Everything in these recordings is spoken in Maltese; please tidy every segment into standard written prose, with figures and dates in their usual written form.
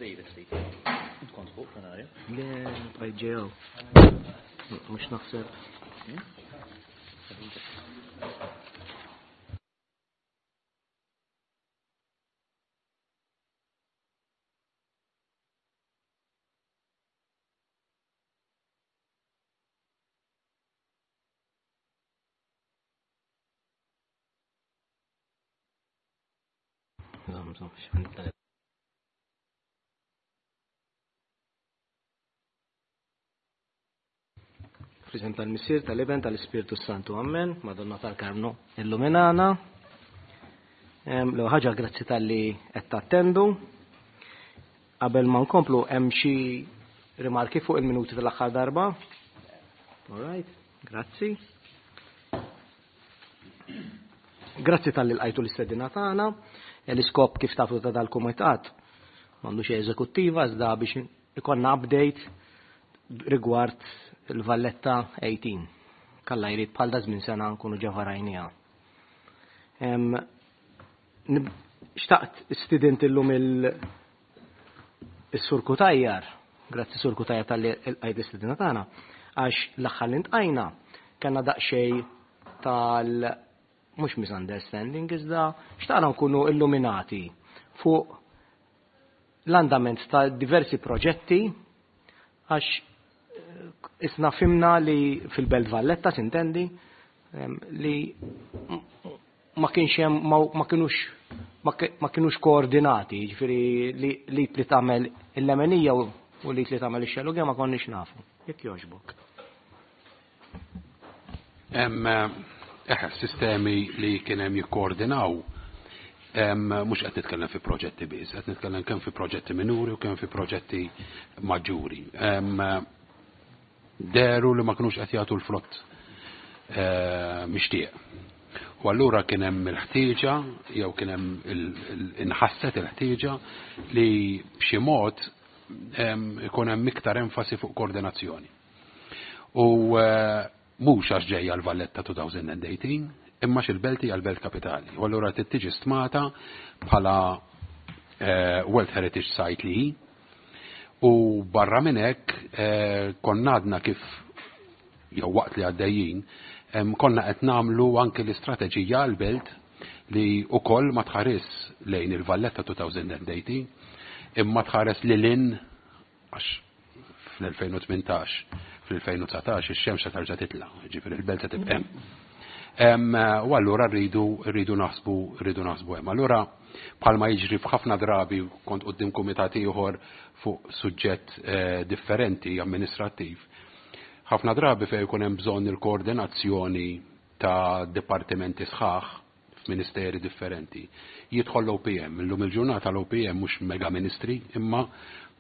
David ftit. Int kont fuq plenarja? Le, bqajt ġew. Mhux naħseb. Fl-isem tal-Missier, tal-Iben, tal-Ispirtu Santu, Amen. Madonna tal-Karmnu, illuminana. L ħaġa grazzi tal-li qed tattendu. Qabel ma nkomplu hemm xi rimarki fuq il-minuti tal-aħħar darba. All right, grazzi. Grazzi tal-li lqajtu l-istedina tagħna. L-iskop kif tafu ta' dal-kumitat m'għandu xi eżekuttiva iżda biex ikollna update rigward il-Valletta 18. Kalla jrid bħal da żmien sena nkunu ġa varajniha. Xtaqt stidint illum il-Sur Kutajjar, grazzi Sur Kutajjar tal-li lqajt l-istedina tagħna, għax l-aħħar li ntqajna kellna daqsxejn tal mhux misunderstanding iżda xtaqna nkunu illuminati fuq l-andament ta' diversi proġetti għax eh, isna fimna li fil-Belt Valletta sintendi li ma kienx hemm ma kinux ma kinux koordinati, jiġifieri li li li tagħmel il-lemenija u li li tagħmel ix-xellugja ma konniex nafu. Jekk jogħġbok. Hemm eh, sistemi li kien hemm jikkoordinaw mhux qed nitkellem fi proġetti biss, qed nitkellem kemm fi proġetti minuri u kemm fi proġetti maġġuri. Deru li ma kinux qed jagħtu l-frott eh, mixtieq. U allura kien hemm il-ħtieġa jew kien hemm inħasset il-ħtieġa li b'xi mod ikun hemm iktar enfasi fuq koordinazzjoni. U eh, mhux għax ġejja l-Valletta 2018, imma xil-belt hija l-belt kapitali. U allura trid tiġi stmata bħala eh, World Heritage Site li hi. U barra minn hekk eh, konna għadna kif jew waqt li għaddejjin, konna qed nagħmlu anke l-istrateġija għall-belt li wkoll ma tħares lejn il-Valletta 2018 imma tħares lil hinn għax fl-2018, fl-2019 ix-xemx se tarġa' titla', ġifieri il-belt se tibqa' hemm. U allura rridu rridu naħsbu rridu naħsbu hemm. Allura bħalma jiġri f'ħafna drabi kont quddiem kumitat ieħor fuq suġġett eh, differenti amministrattiv. Ħafna drabi fejn ikun hemm bżonn il-koordinazzjoni ta' dipartimenti sħaħ f'ministeri differenti. Jidħol l-OPM, illum il-ġurnata l-OPM mhux mega ministri, imma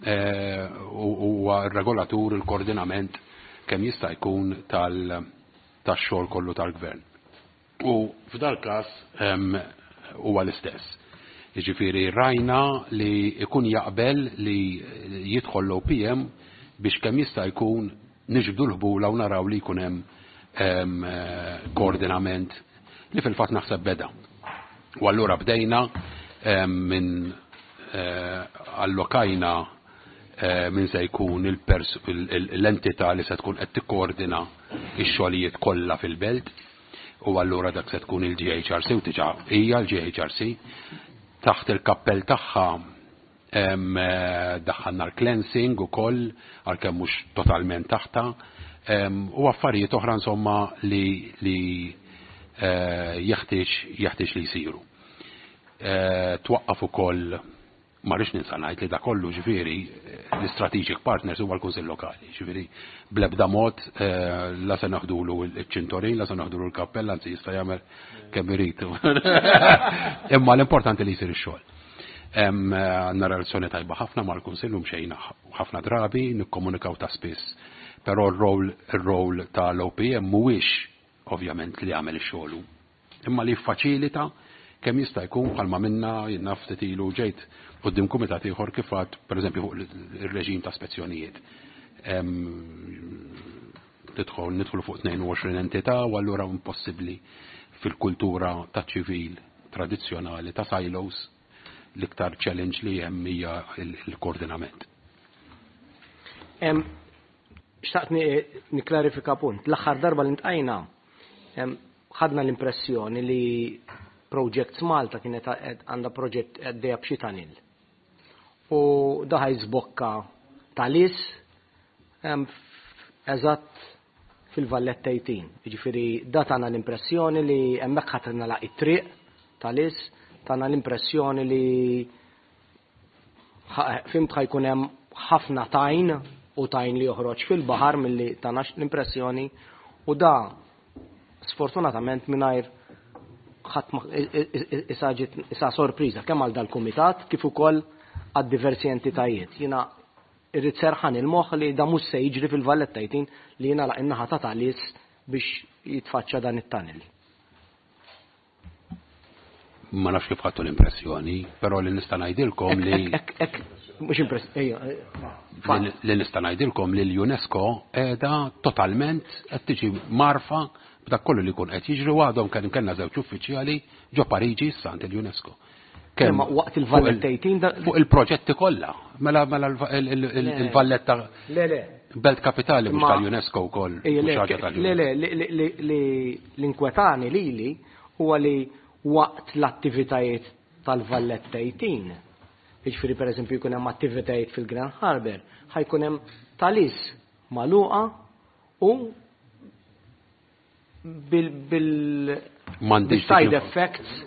eh, huwa r-regolatur il-koordinament kemm jista' jkun tal-xogħol kollu tal-gvern. U f'dal każ huwa l-istess. Jiġifieri rajna li jkun jaqbel li jidħol l-OPM biex kemm jista' jkun niġbdu l-ħbula u naraw li jkun hemm koordinament li fil-fatt naħseb beda. U allura bdejna minn eh, allokajna eh, minn se jkun l-entità li se tkun qed tikkoordina x-xogħlijiet kollha fil-belt u allura dak se tkun il-GHRC u diġà hija l-GHRC taħt il-kappell tagħha daħħalna l-cleansing ukoll għalkemm mhux totalment taħta u affarijiet oħra insomma li li eh, jeħtieġ jeħtieġ li jsiru. Eh, twaqqaf ukoll ma rridx ninsa ngħid li da kollu ġifieri l-strategic partners huwa l-Kunsill Lokali, ġifieri bl-ebda mod eh, la se naħdulu ċ-ċintorin, la se naħdulu l-kappella, anzi jista' jagħmel kemm irid. Imma l-importanti li jsir ix-xogħol. Għandna relazzjoni tajba ħafna mal-Kunsill u mxejna ħafna drabi, nikkomunikaw ta' spiss. Però r-rol ir-rol tal-OPM mhuwiex ovvjament li jagħmel ix-xogħol imma li jiffaċilita kemm jista' jkun bħalma minna jien naf ftit ilu ġejt quddiem kumitat ieħor kif għad pereżempju fuq ir-reġim ta' spezzjonijiet. Tidħol nidħlu fuq 22 entità u allura impossibbli fil-kultura ta' ċivil tradizzjonali ta' silos. l-iktar challenge li hemm hija l-koordinament. Xtaqt niklarifika punt. L-aħħar darba li ntqajna ħadna l-impressjoni li Projects Malta kienet għandha proġett għaddejja b'xi tunnel. U da ħa jiżbokka Ta' Qali eżatt fil-Valletta 18. Jiġifieri da tana l-impressjoni li hemmhekk ħa tingħalaq it-triq Ta' Qali, tana l-impressjoni li fimt ħa jkun hemm ħafna tajn u tajn li joħroġ fil-baħar milli tana l-impressjoni u da sfortunatament mingħajr ħadd issa sorpriża kemm għal dal-kumitat kif ukoll għad diversi entitajiet. Jiena irrid serħan il-moħħ li da mhux se jiġri fil-Valletta 18 li jingħalaq in-naħa ta' Ta' Qali biex jitfaċċa dan it-tunnel. Ma nafx kif ħadtu l-impressjoni, però li nista' ngħidilkom li Mhux impressjoni, li nista' ngħidilkom li l-UNESCO qiegħda totalment qed tiġi mgħarrfa b'dak kollu li jkun qed jiġri u għadhom kemm kellna żewġ uffiċjali ġo Pariġi issa għand il-UNESCO. Kemm waqt il-Valletta 18 fuq il-proġetti kollha. Mela mela il-Valletta Le le. Belt Kapitali mhux tal-UNESCO wkoll. Le le li l-inkwetani lili huwa li waqt l-attivitajiet tal-Valletta 18, jiġifieri pereżempju jkun hemm attivitajiet fil-Grand Harbour, ħa jkun hemm Ta' Qali magħluqa u bil side effects.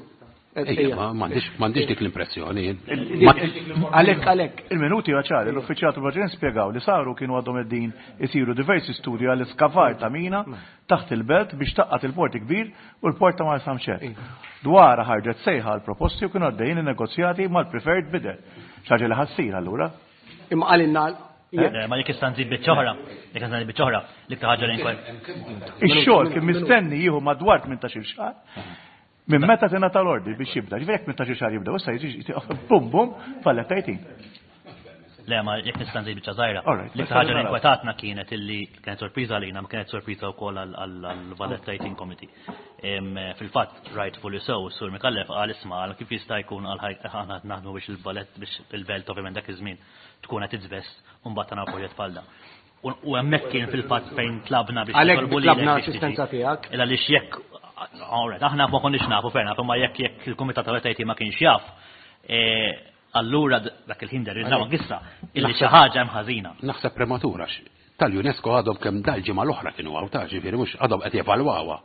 M'għandix dik l-impressjoni. Għalek, għalek. Il-minuti ċari, l-uffiċjal tal spjegaw li saru kienu għadhom qegħdin isiru diversi studji għall iskavar ta' mina taħt il-belt biex tgħaqqad il-port kbir u l-port ta' Marsamxett. Dwar ħarġet sejħa għal proposti u kienu għaddejjin il-negozjati mal-preferred bidder. Xi ħaġa li ħa ssir allura. Imma għalinna Ma jekk issa nżid biċċa oħra, jekk nżid biċċa oħra, l-iktar ħaġa li nkwel. Ix-xogħol kien mistenni jieħu madwar 18-il xahar. Minn meta tingħata l-ordni biex jibda, ġifieri jekk 18-il xahar jibda, issa jiġi bum bum Valletta 18. Le, ma jekk nista' nżid biċċa żgħira. L-iktar ħaġa li inkwetatna kienet illi kienet sorpriża għalina, ma kienet sorpriża wkoll għall-Valletta 18 Committee. Fil-fatt, rightfully so, Sur Micallef qal isma' għal kif jista' jkun għal aħna naħdmu biex il-ballet biex il-belt ovvjament dak iż-żmien tkun qed its best u mbagħad tagħna proġett bħal dan. U hemmhekk kien fil-fatt fejn tlabna biex Għalhekk tlabna assistenza tiegħek. Illa għaliex jekk alright, aħna ma konniex nafu ferna, imma jekk jekk il-kumitat tal ma kienx jaf, allura dak il-ħin derilna issa illi xi ħaġa hemm ħażina. Naħseb prematura tal-UNESCO għadhom kemm dal-ġimgħa l-oħra kienu hawn ta' ġifieri mhux għadhom qed jevalwawha.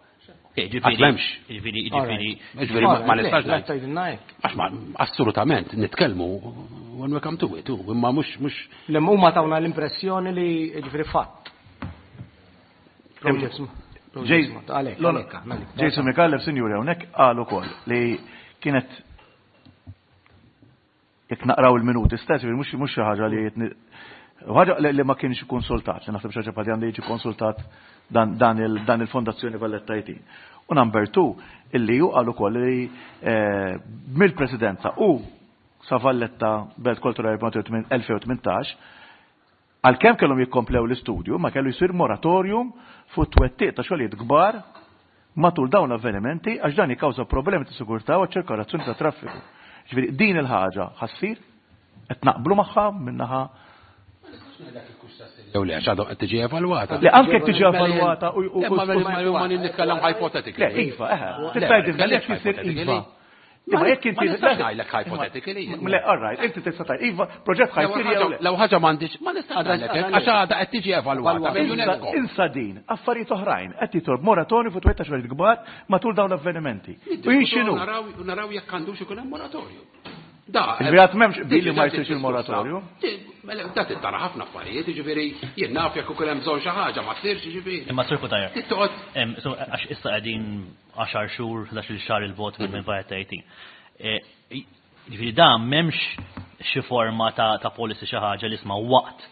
Ġifieri, ġifieri, ġifieri. Ġifieri ma nistax ngħid. Għax ma assolutament nitkellmu when we come to it, imma mhux mhux. Le huma tawna l-impressjoni li ġifieri fatt. Jason Micallef, sinjuri, hawnhekk qal ukoll li kienet jekk naqraw il-minuti stess, mhux mhux xi ħaġa li ħaġa li ma kienx konsultat, li naħseb xi ħaġa bħal għandu jiġi konsultat dan il-Fondazzjoni Valletta 18. U number two, illi ju qal ukoll li mill-presidenza u sa Valletta Belt Kulturali 2018 għalkemm kellhom jikkomplew l-istudju, ma kellu jsir moratorium fuq twettiq ta' xogħlijiet kbar matul dawn l-avvenimenti għax dan jikkawża problemi ta' sigurtà u ċirkolazzjoni ta' traffiku. Ġifieri din il-ħaġa ħa ssir qed naqblu magħha minnaħa Jew le, għax għadhom qed tiġi evalwata. Le anke tiġi evalwata u Ma nitkellem hypothetically. Le, iva, eħe. Tista' jekk isir iva. Imma jekk inti. Ma nistax ngħidlek hypothetically. Le, all right, inti tista' tgħid iva, proġett ħa jsir jew le. Law ħaġa m'għandix, ma nistax ngħidlek għax għadha qed tiġi evalwata mill-UNESCO. Insa din, affarijiet oħrajn, qed jitolb moratorju fuq twettiq xogħlijiet kbar matul dawn l-avvenimenti. U jien x'inhu? Naraw jekk għandux ikun hemm moratorju. Da, Ġifieri m'hemmx billi ma jsirx il-moratorju. Mela, da tittara ħafna affarijiet, jiġifieri jien naf jekk ukoll hemm bżonn xi ħaġa ma ssirx, jiġifieri. Imma Sur Cutajar. Għax issa qegħdin 10 xhur, 11 xahar 'il bogħod minn Valletta 18. Ġifieri da m'hemmx xi forma ta' policy xi ħaġa li isma' waqt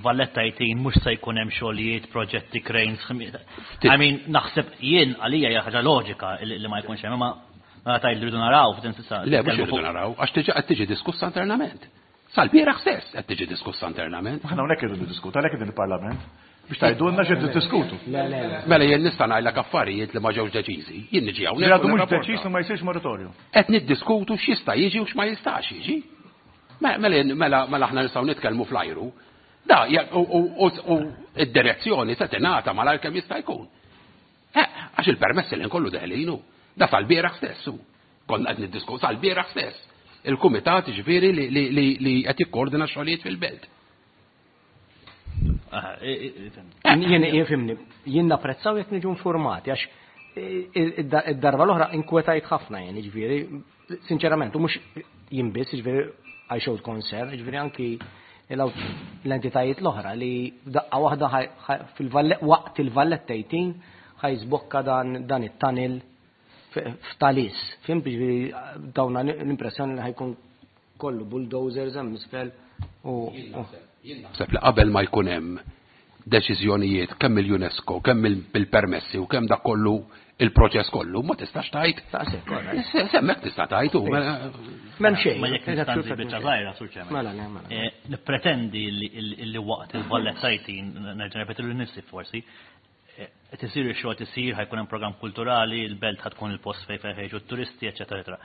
Valletta 18 mhux se jkun hemm xogħlijiet, proġetti, cranes. I mean, naħseb jien għalija hija ħaġa loġika li ma jkunx hemm, imma mela tgħid li rridu naraw f'din s'issa. Le, mhux irridu naraw, għax tiġi qed tiġi diskussa internament. Sal-bieraħ stess qed tiġi diskussa internament. Aħna hawnhekk irridu diskuta, għalhekk din il-Parlament. Biex tgħidulna x'qed tiddiskutu. Le, le, le. Mela jien nista' ngħidlek affarijiet li ma ġewx deċiżi. Jien niġi hawnhekk. Li għadu u mhux nirrapporta. deċiż li ma jsirx moratorju. Qed niddiskutu x'jista' jiġi u x'ma jistax jiġi. Mela mela mela aħna nistgħu nitkellmu fl-ajru. Da, u id-direzzjoni se tingħata malajr kemm jista' jkun. Eh, għax il-permessi li nkollu deħlinu. Da sal-bieraħ stess hu. Konna qed niddiskutu sal-bieraħ stess. Il-kumitat ġifieri li qed jikkoordina x-xogħlijiet fil-belt. Jien fimni, jien napprezzaw jekk niġu informati għax id-darba l-oħra inkwetajt ħafna jien, ġifieri, sinċerament, u mhux jien biss, ġifieri I showed concern, ġifieri anki l-entitajiet l-oħra li daqqa waħda waqt il-Valletta 18 ħa jiżbokka dan it-tunnel f'Talis. Fim, ġifieri dawna l-impressjoni li ħa jkun kollu bulldozers hemm isfel u Naħseb li qabel ma jkun hemm deċiżjonijiet kemm il-UNESCO, kemm il-permessi u kemm dak kollu il-proċess kollu, ma tistax tgħid. Taqsek, all right. Semmek tista' tgħid u M'hemm xejn. Ma jekk nista' nżid biċċa żgħira, Sur Chairman. Mela, le, mela. Nippretendi li waqt il-Valletta 18, nerġa' nirrepeti lil nifsi forsi, qed isir ix-xogħol isir, ħa jkun hemm programm kulturali, il-belt ħa tkun il-post fejn fejn ħejġu t-turisti, eċetera, eċetera.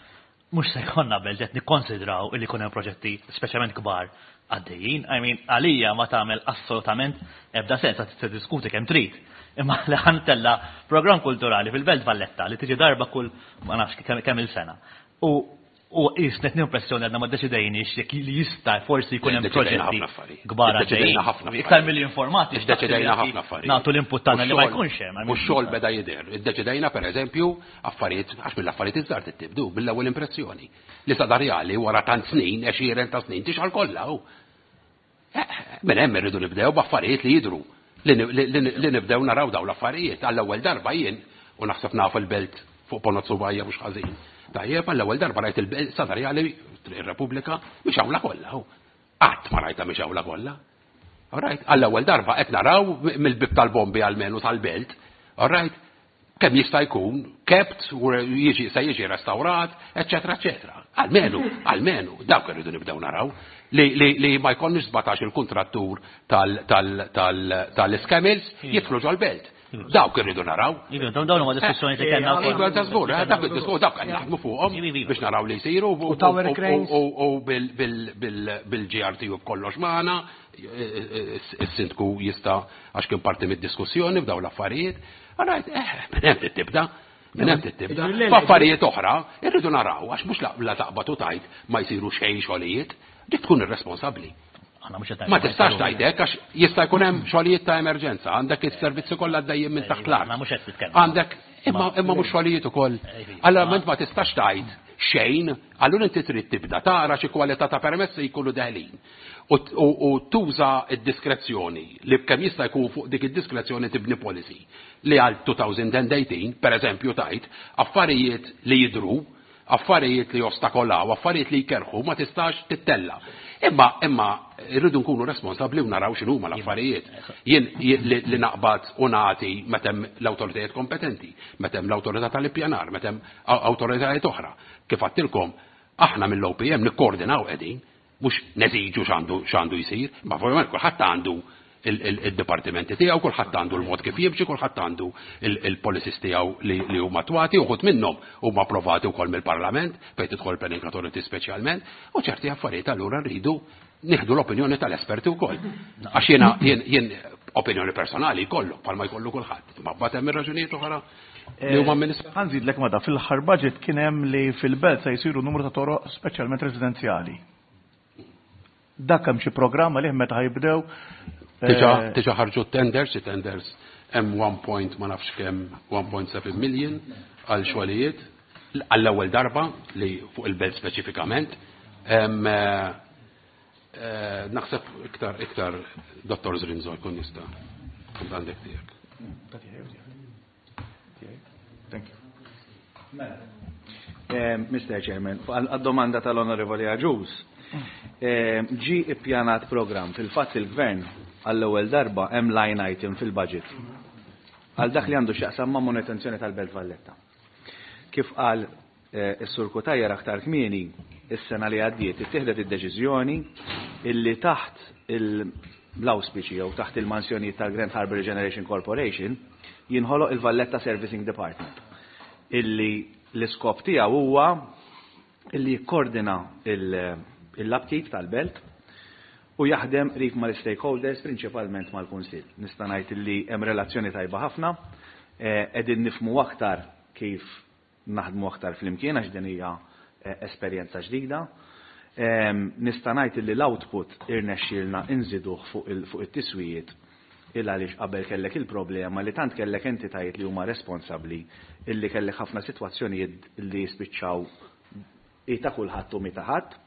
Mhux se jkollna belt qed nikkonsidraw li jkun hemm proġetti speċjalment kbar għaddejjin. I mean, għalija ma tagħmel assolutament ebda sens għad tiddiskuti kemm trid. Imma li ħa ntella' programm kulturali fil-Belt Valletta li tiġi darba kull ma nafx kemm il-sena. U jisnet impressjoni għadna ma deċidejniex jekk li jista' forsi jkun hemm Iddeċidejna proġetti ħafna affarijiet. kbar Iddeċidejna għaddejjin. ħafna affarijiet. Iktar mill-informati. Iddeċidejna ħafna affarijiet. Nagħtu l-input tagħna li ma U x-xogħol- jkunx hemm. I U mean, x-xogħol beda jidher. Iddeċidejna pereżempju affarijiet għax mill-affarijiet iż-żgħar tibdu mill-ewwel impressjoni. Li sa darjali wara tant snin, għexieren ta' snin, tixgħal kollha hu. Minn hemm irridu nibdew b'affarijiet li jidru. Li nibdew naraw daw l-affarijiet. Għall-ewwel darba jien u naħseb nafu l-belt fuq Ponot Subajja mhux ħażin. Tajjeb, għall-ewwel darba rajt il-belt sadarjali ir-Repubblika mhix hawnla kollha. hu. Qatt ma rajta mhix hawnla kollha. All right, għall-ewwel darba qed naraw mill-bib tal-bombi almenu tal-belt. All right, kemm jista' jkun kept u jiġi se jiġi restawrat, eċetera, eċetera. Almenu, almenu, dawk irridu nibdew naraw li ma jkollniex 17 il-kontrattur tal-iskemils jidħlu ġol-belt. Dawk irridu naraw. Iva, dawn huma diskussjoni li kellna wkoll. Iva, ta' żgur, dak id-diskuss dawk qed naħdmu fuqhom Iva, iva. biex naraw li jsiru U tower cranes. u bil-GRT u b'kollox magħna, is-sindku jista' għax kien parti mid-diskussjoni f'daw l-affarijiet. Alright, minn hemm tibda. Minn hemm tibda. F'affarijiet oħra irridu naraw għax mhux la taqbad u tgħid ma jsiru xejn xogħlijiet, dik tkun irresponsabbli. Aħna mhux qed Ma tistax tgħidek għax jista' jkun hemm xogħlijiet ta' emerġenza, għandek is-servizzi kollha għaddejjin minn taħt l-art. Aħna mhux qed nitkellmu. Għandek imma imma mhux xogħlijiet ukoll. Allora ment ma tistax tgħid xejn, allura inti trid tibda tara xi kwalità ta' permessi jkunu deħlin. U tuża id-diskrezzjoni li kemm jista' jkun fuq dik id-diskrezzjoni tibni policy li għal 2018, per eżempju, tajt affarijiet li jidru, affarijiet li jostakolaw, affarijiet li jkerħu, ma tistax tittella. Imma irridu nkunu responsabbli u naraw x'inhuma l-affarijiet. Jien li naqbad u nagħti meta hemm l-awtoritajiet kompetenti, meta hemm l-awtorità tal-ippjanar, meta hemm awtoritajiet oħra. Kif għedtilkom, aħna mill-OPM nikkoordinaw qegħdin, mhux neżiġu x'għandu jsir, ma ovvjament kulħadd għandu il-dipartimenti tiegħu, kulħadd għandu l-mod kif jimxi, kulħadd għandu il-policies tiegħu li huma attwati, uħud minnhom huma approvati wkoll mill-Parlament, fejn tidħol Planning Authority speċjalment, u ċerti affarijiet allura rridu nieħdu l-opinjoni tal-esperti wkoll. Għax jiena jien opinjoni personali jkollu, bħalma jkollu kulħadd. Ma mbagħad hemm ir-raġunijiet oħra li huma amministrati. Ħa nżidlek ma da fil-aħħar budget kien hemm li fil-belt se jsiru numru ta' toroq speċjalment residenzjali. Dak hemm xi programma li meta ħa jibdew. Diġà ħarġu tenders, tenders hemm 1 point ma nafx kemm 1.7 million għal xogħlijiet għall-ewwel darba li fuq il-belt speċifikament. Naħseb iktar Dottor Zrinzo jkun jista' għandek tiegħek. Thank you. Mr. Chairman, għad-domanda tal-Onorevoli Agius, ġi ippjanat program fil-fatt il-Gvern għall-ewwel darba hemm line item fil-budget għal dak li għandu x'jaqsam ma' manutenzjoni tal-Belt Valletta. Kif qal is-Sur Cutajar aktar kmieni, is-sena li għaddiet ittieħdet id-deċiżjoni illi taħt l-awspiċi jew taħt il-mansjonijiet tal-Grand Harbour Regeneration Corporation jinħoloq il-Valletta Servicing Department illi l-iskop tiegħu huwa illi jikkordina l-upkeep tal-belt u jaħdem qrib mal-stakeholders, prinċipalment mal-Kunsill. Nista' ngħid illi hemm relazzjoni tajba ħafna, qegħdin nifhmu aktar kif naħdmu aktar flimkien għax din hija esperjenza ġdida. Nista' ngħid illi l-output irnexxielna inżiduh fuq it-tiswijiet il għaliex qabel kellek il-problema li tant kellek entitajiet li huma responsabbli illi kellek ħafna sitwazzjonijiet li jispiċċaw hi ta' kulħadd u mhi ta' ħadd.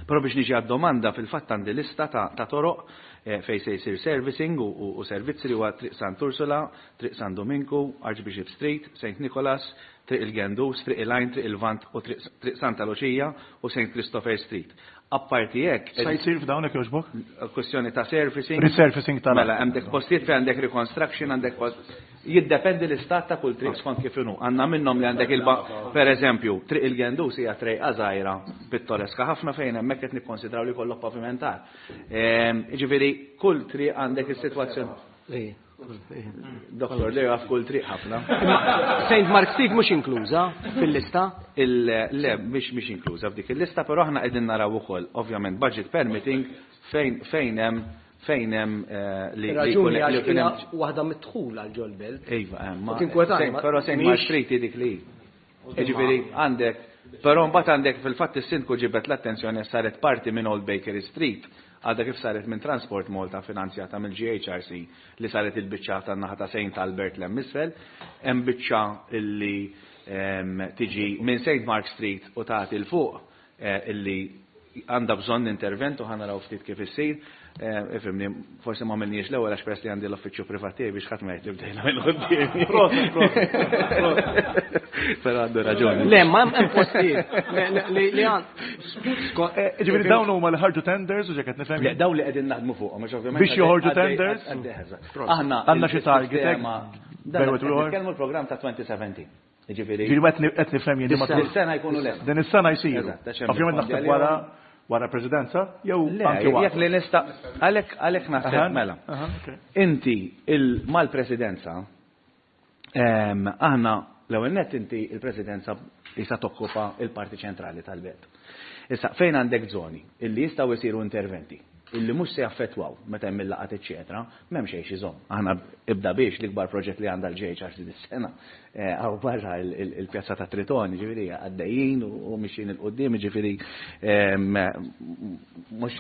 Però biex niġi għad-domanda, fil-fatt għandi lista ta' toroq fejn se jsir servicing u servizzi li huwa Triq Sant Ursula, Triq San Duminku, Archbishop Street, Saint Nicholas, Triq il-Gendus, Triq il-Għajn, Triq il-Lvant u Triq Santa Luċija u Saint Christopher Street. Apparti hekk. Sa jsir f'dawn jekk jogħġbok? Kwestjoni ta' surfacing. Resurfacing tal. Mela, għandek postijiet fejn għandek reconstruction, għandek post. Jiddependi l-istat ta' kull triq skont kif inhu. Għandna minnhom li għandek il per eżempju, Triq il-Gendus hija trejqa żgħira pittoreska ħafna fejn hemmhekk qed nikkonsidraw li kollok pavimentar. Jiġifieri kull triq għandek is-sitwazzjoni. Doktor, li għaf kull triq ħafna. Saint Mark Street mhux inkluża fil-lista? Le, mhix inkluża f'dik il-lista, però aħna qegħdin naraw ukoll, ovvjament, budget permitting fejn hemm fejn hemm li Raġuni għax hija waħda mid-dħul għal ġol-belt. Iva, ma. Però Saint Mark Street dik li. Jiġifieri għandek, però mbagħad għandek fil-fatt is-sindku ġibet l-attenzjoni saret parti minn Old Bakery Street għadha kif saret minn Transport Malta finanzjata mill-GHRC li saret il-biċċa tan-naħa ta' St. Albert l isfel, hemm biċċa illi tiġi minn St. Mark Street u tagħti 'l fuq illi għandha bżonn intervent u ħa naraw ftit kif issir. Ifhimni, forsi ma għamilniex l-ewwel għax peress li għandi l-uffiċċju privat tiegħi biex ħadd ma jgħid li bdejna minn quddiem. Proset, proset. Però għandu raġuni. Le, ma hemm postijiet li għand. Ġifieri dawn huma li ħarġu tenders u ġeket nifhem. Le, dawn li qegħdin naħdmu fuqhom, għax ovvjament. Biex joħorġu tenders? Aħna għandna xi target. Nitkellmu l-programm ta' 2017. Ġifieri. Ġifieri qed nifhem jien ma Din sena jkunu lest. Din is-sena jsiru. Ovvjament naħseb wara wara presidenza jew anke wara. Jekk li nista' għalhekk għalhekk naħseb mela. Inti mal-presidenza aħna l-ewwel nett inti il-presidenza jista' tokkupa il-parti ċentrali tal-belt. Issa fejn għandek żoni illi jistgħu jsiru interventi illi mhux se jaffettwaw meta hemm il-laqat eċċetera, m'hemm xejn xi Aħna ibda biex l-ikbar proġett li għandha l-GHRC dis-sena hawn barra il-pjazza ta' Tritoni, ġifieri għaddejjin u mixjin 'il quddiem, ġifieri mhux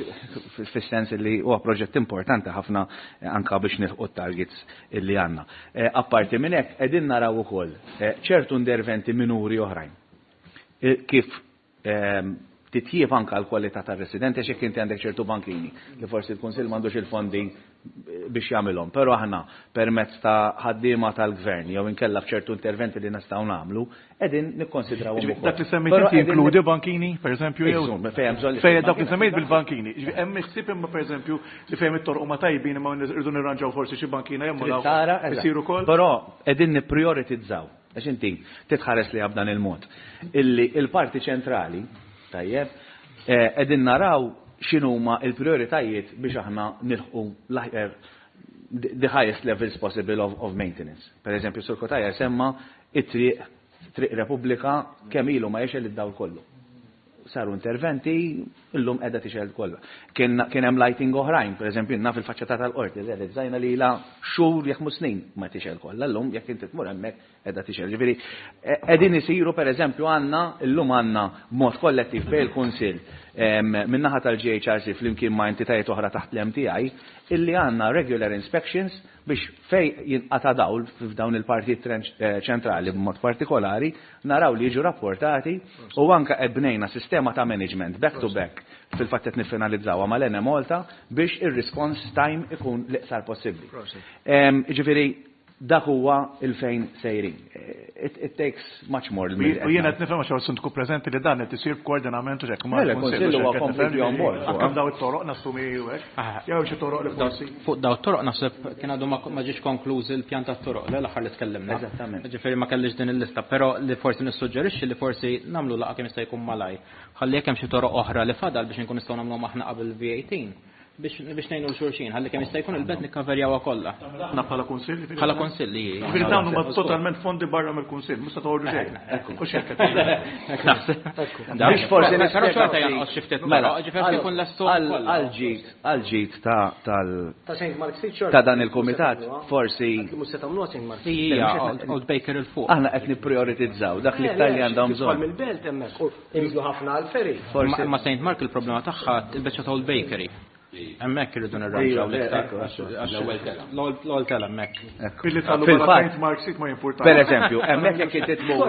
fis-sens li huwa proġett importanti ħafna anka biex nilħqu targets illi għandna. Apparti minn hekk qegħdin naraw ukoll ċertu interventi minuri oħrajn. Kif titjieb anka l-kwalità tar-residenti għax jekk inti għandek ċertu bankini li forsi l-Kunsill m'għandux il-fondi biex jagħmilhom, però aħna permezz ta' ħaddiema tal-gvern jew inkella f'ċertu interventi li nistgħu nagħmlu, qegħdin nikkonsidraw ukoll. Dak li semmejt inti jinkludi bankini, pereżempju, jew fejn dak li semmejt bil-bankini. Hemm ħsieb imma pereżempju li fejn it-torq huma tajbin imma rridu nirranġaw forsi xi bankina jew tara isiru wkoll. Però qegħdin nipprioritizzaw. Għax inti titħares li b'dan il-mod. Illi il-parti ċentrali, tajjeb, qegħdin naraw x'inhuma il-prioritajiet biex aħna nilħqu the highest levels possible of maintenance. Per eżempju, Sur Cutajar semma it-triq Triq Repubblika kemm ilu ma jixgħel id-dawl kollu. Saru interventi, illum qiegħda tixgħel kollha. Kien hemm lighting oħrajn, per eżempju, naf il-faċċata tal-qorti, realizzajna li la xhur jekk mhux snin ma tixgħel kollha, llum jekk inti tmur hemmhekk qiegħda tixgħel. Ġifieri qegħdin isiru pereżempju għandna illum għandna b'mod kollettiv bejn il-Kunsill min-naħa tal-GHRC flimkien ma' entitajiet oħra taħt l-MTI illi għandna regular inspections biex fej jinqata' dawl f'dawn il-partijiet ċentrali b'mod partikolari naraw li jiġu rapportati u anka ebnejna sistema ta' management back to back fil-fatt qed niffinalizzawha mal-Enemalta biex ir-response time ikun l-iqsar possibbli. Ġifieri dak huwa il-fejn sejrin. It takes much more. U jiena qed nifhem għax sindku preżenti li dan qed isir b'koordinament u hekk ma' l-Kunsill huwa completely on board. Anke daw it-toroq nassumi u hekk. Jew xi toroq li forsi. Fuq daw it-toroq naħseb kien għadu ma ġiex konkluż il-pjan tat-toroq l-aħħar li tkellimna. Eżattament. Ġifieri ma kellix din il-lista, però li forsi nissuġġerixxi li forsi nagħmlu laqgħa kemm jista' jkun malaj. Ħalli jekk hemm xi toroq oħra li fadal biex inkun nistgħu nagħmluhom aħna qabel V18. Biex ngħinu 'l xulxin, ħalli kemm jista' jkun il-belt nikkaverjawha kollha. Aħna bħala kunsill? Bħala kunsill, li. Ġifieri dawn huma totalment fondi barra mill-kunsill, mhux se toħorġu xejn. Hux hekk qed Hekk naħseb. Biex forsi Però xorta jonqos xi ftit mela, ġifieri jkun lestu għal-ġid, għal-ġid ta' tal Ta' St. Mark Street xorta. Ta' dan il-kumitat, forsi. Mhux se tagħmluha St. Mark Street. Hija Old Baker 'il fuq. Aħna qed nipprioritizzaw dak li iktar li għandhom bżonn. Mill-belt hemmhekk u inżlu ħafna għall-ferry. Ma' St. Mark il-problema tagħha il-biċċa ta' Old Bakery. Hemmhekk irridu nirranġaw l-iktar. L-ewwel tela. L-ewwel tela hemmhekk. Billi tagħmlu Fil-fatt. St. Mark Street ma jimpurtax. Per eżempju, hemmhekk jekk inti tmur.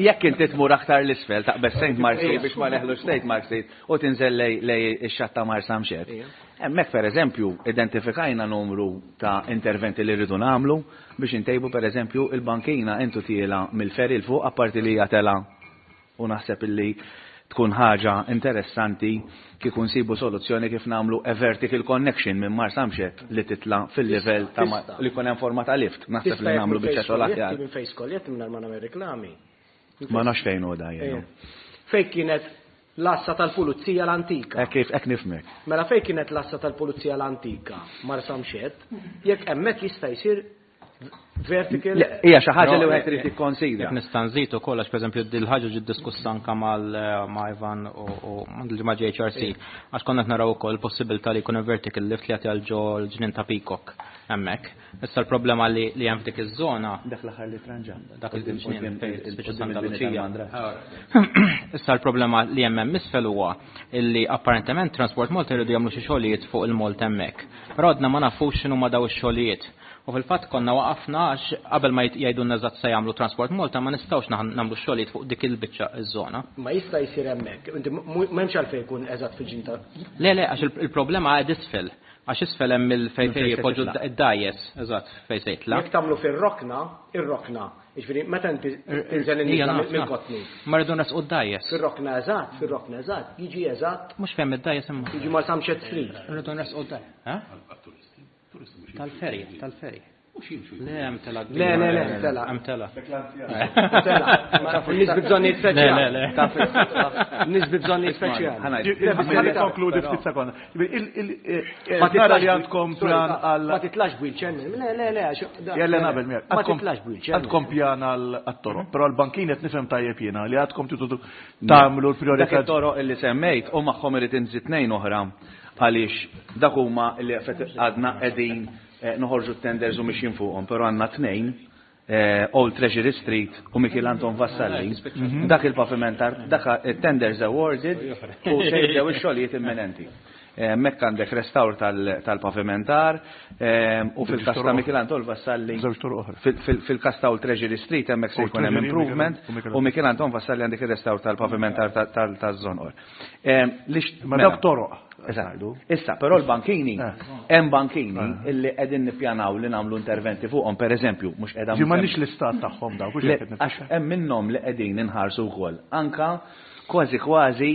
Jekk inti tmur aktar l-isfel taqbeż St. Mark Street biex ma neħlux St. Mark Street u tinżel lej ix-xatt ta' Marsamxett. Hemmhekk pereżempju identifikajna numru ta' interventi li rridu nagħmlu biex intejbu pereżempju il-bankina intu tiela mill-ferry 'l fuq apparti li hija tela u naħseb illi tkun ħaġa interessanti kieku nsibu soluzzjoni kif nagħmlu a vertical connection minn Marsamxett li titla' fil-livell ta' li jkun hemm forma ta' lift. Naħseb li nagħmlu biċċa xogħol aħjar. Minn fejn skoljet mingħajr ma nagħmel reklami. Ma nafx fejn hu da jien. Fejn kienet l-għassa tal-pulizija l-antika. Hekk kif hekk nifhmek. Mela fejn kienet l-għassa tal-pulizija l-antika, Marsamxett, jekk hemmhekk jista' jsir vertical. Hija xi ħaġa li wieħed irid jikkonsidra. Jekk nista' nżid ukoll għax pereżempju dil ħaġa ġiet diskussa anke mal ma' Ivan u ma' JHRC għax konna qed naraw ukoll possibilità li jkun hemm vertical lift li jagħti għal ġo l-ġnien ta' Peacock hemmhekk. Issa l-problema li hemm f'dik iż-żona. Dak l-aħħar li tranġa. Dak il-ġnien fejn spiċċa Santa Luċija. Issa l-problema li hemm hemm isfel huwa illi apparentement Transport Malta jridu jagħmlu xi xogħlijiet fuq il-Malt hemmhekk. Però għadna ma nafux x'inhuma daw ix-xogħlijiet. U fil-fatt konna waqafna għax qabel ma jgħidulna eżatt se jagħmlu Transport Malta ma nistgħux nagħmlu xogħlijiet fuq dik il-biċċa iż-żona. Ma jista' jsir hemmhekk. Inti m'hemmx għalfejn jkun eżatt fil-ġin ta' Le, le, għax il-problema qed isfel. Għax isfel hemm il-fejn fejn jipoġġu id-dgħajjes, eżatt, fejn se jitla'. Jekk tagħmlu fir-rokna, ir-rokna, jiġifieri meta inti tinżel in-nies mill-kotni. Ma rridu nesqu d-dgħajjes. Fir-rokna eżatt, fir-rokna eżatt, jiġi eżatt. Mhux fejn id-dgħajjes imma. Jiġi Marsamxett Street. Rridu nesqu d-dgħajjes. Tal-ferry, tal-ferry. Le, hemm tela. Le, le, le, tela. Hemm tela. Tela. Nies bi bżonnijiet speċjali. Le, le, le. Nies bi bżonnijiet speċjali. Konkludi ftit sekonda. Ma li għandkom pjan għal. Ma titlax b'wheelchair. Le, le, le. Jelle nabel miegħek. Ma titlax b'wheelchair. Għandkom pjan għal toroq, però l-bankin qed nifhem tajjeb jiena li għandkom tridu tagħmlu l-priorità. Dak it-toroq illi semmejt u magħhom irid inżid tnejn oħra għaliex dak huma li għadna qegħdin noħorġu t-tenders u mixjin fuqhom, però għandna tnejn, Old Treasury Street u Mikiel Anton Vassalli, dak il-pavimentar, dak tenders awarded u se jibdew ix-xogħlijiet imminenti. Mekk għandek restawr tal-pavimentar u fil-kas ta' Mikiel Anton Vassalli fil-kas ta' Old Treasury Street hemmhekk se jkun hemm improvement u Mikiel Anton Vassalli għandek ir-restawr tal-pavimentar taż-żonqor. Ma dawk toroq. Eżatt. Issa, però l-bankini, hemm bankini illi qegħdin nippjanaw li nagħmlu interventi fuqhom, pereżempju, mhux qiegħda. Ġi m'għandniex l-istat tagħhom dawk, hux hekk qed Għax hemm minnhom li qegħdin inħarsu wkoll. Anka kważi kważi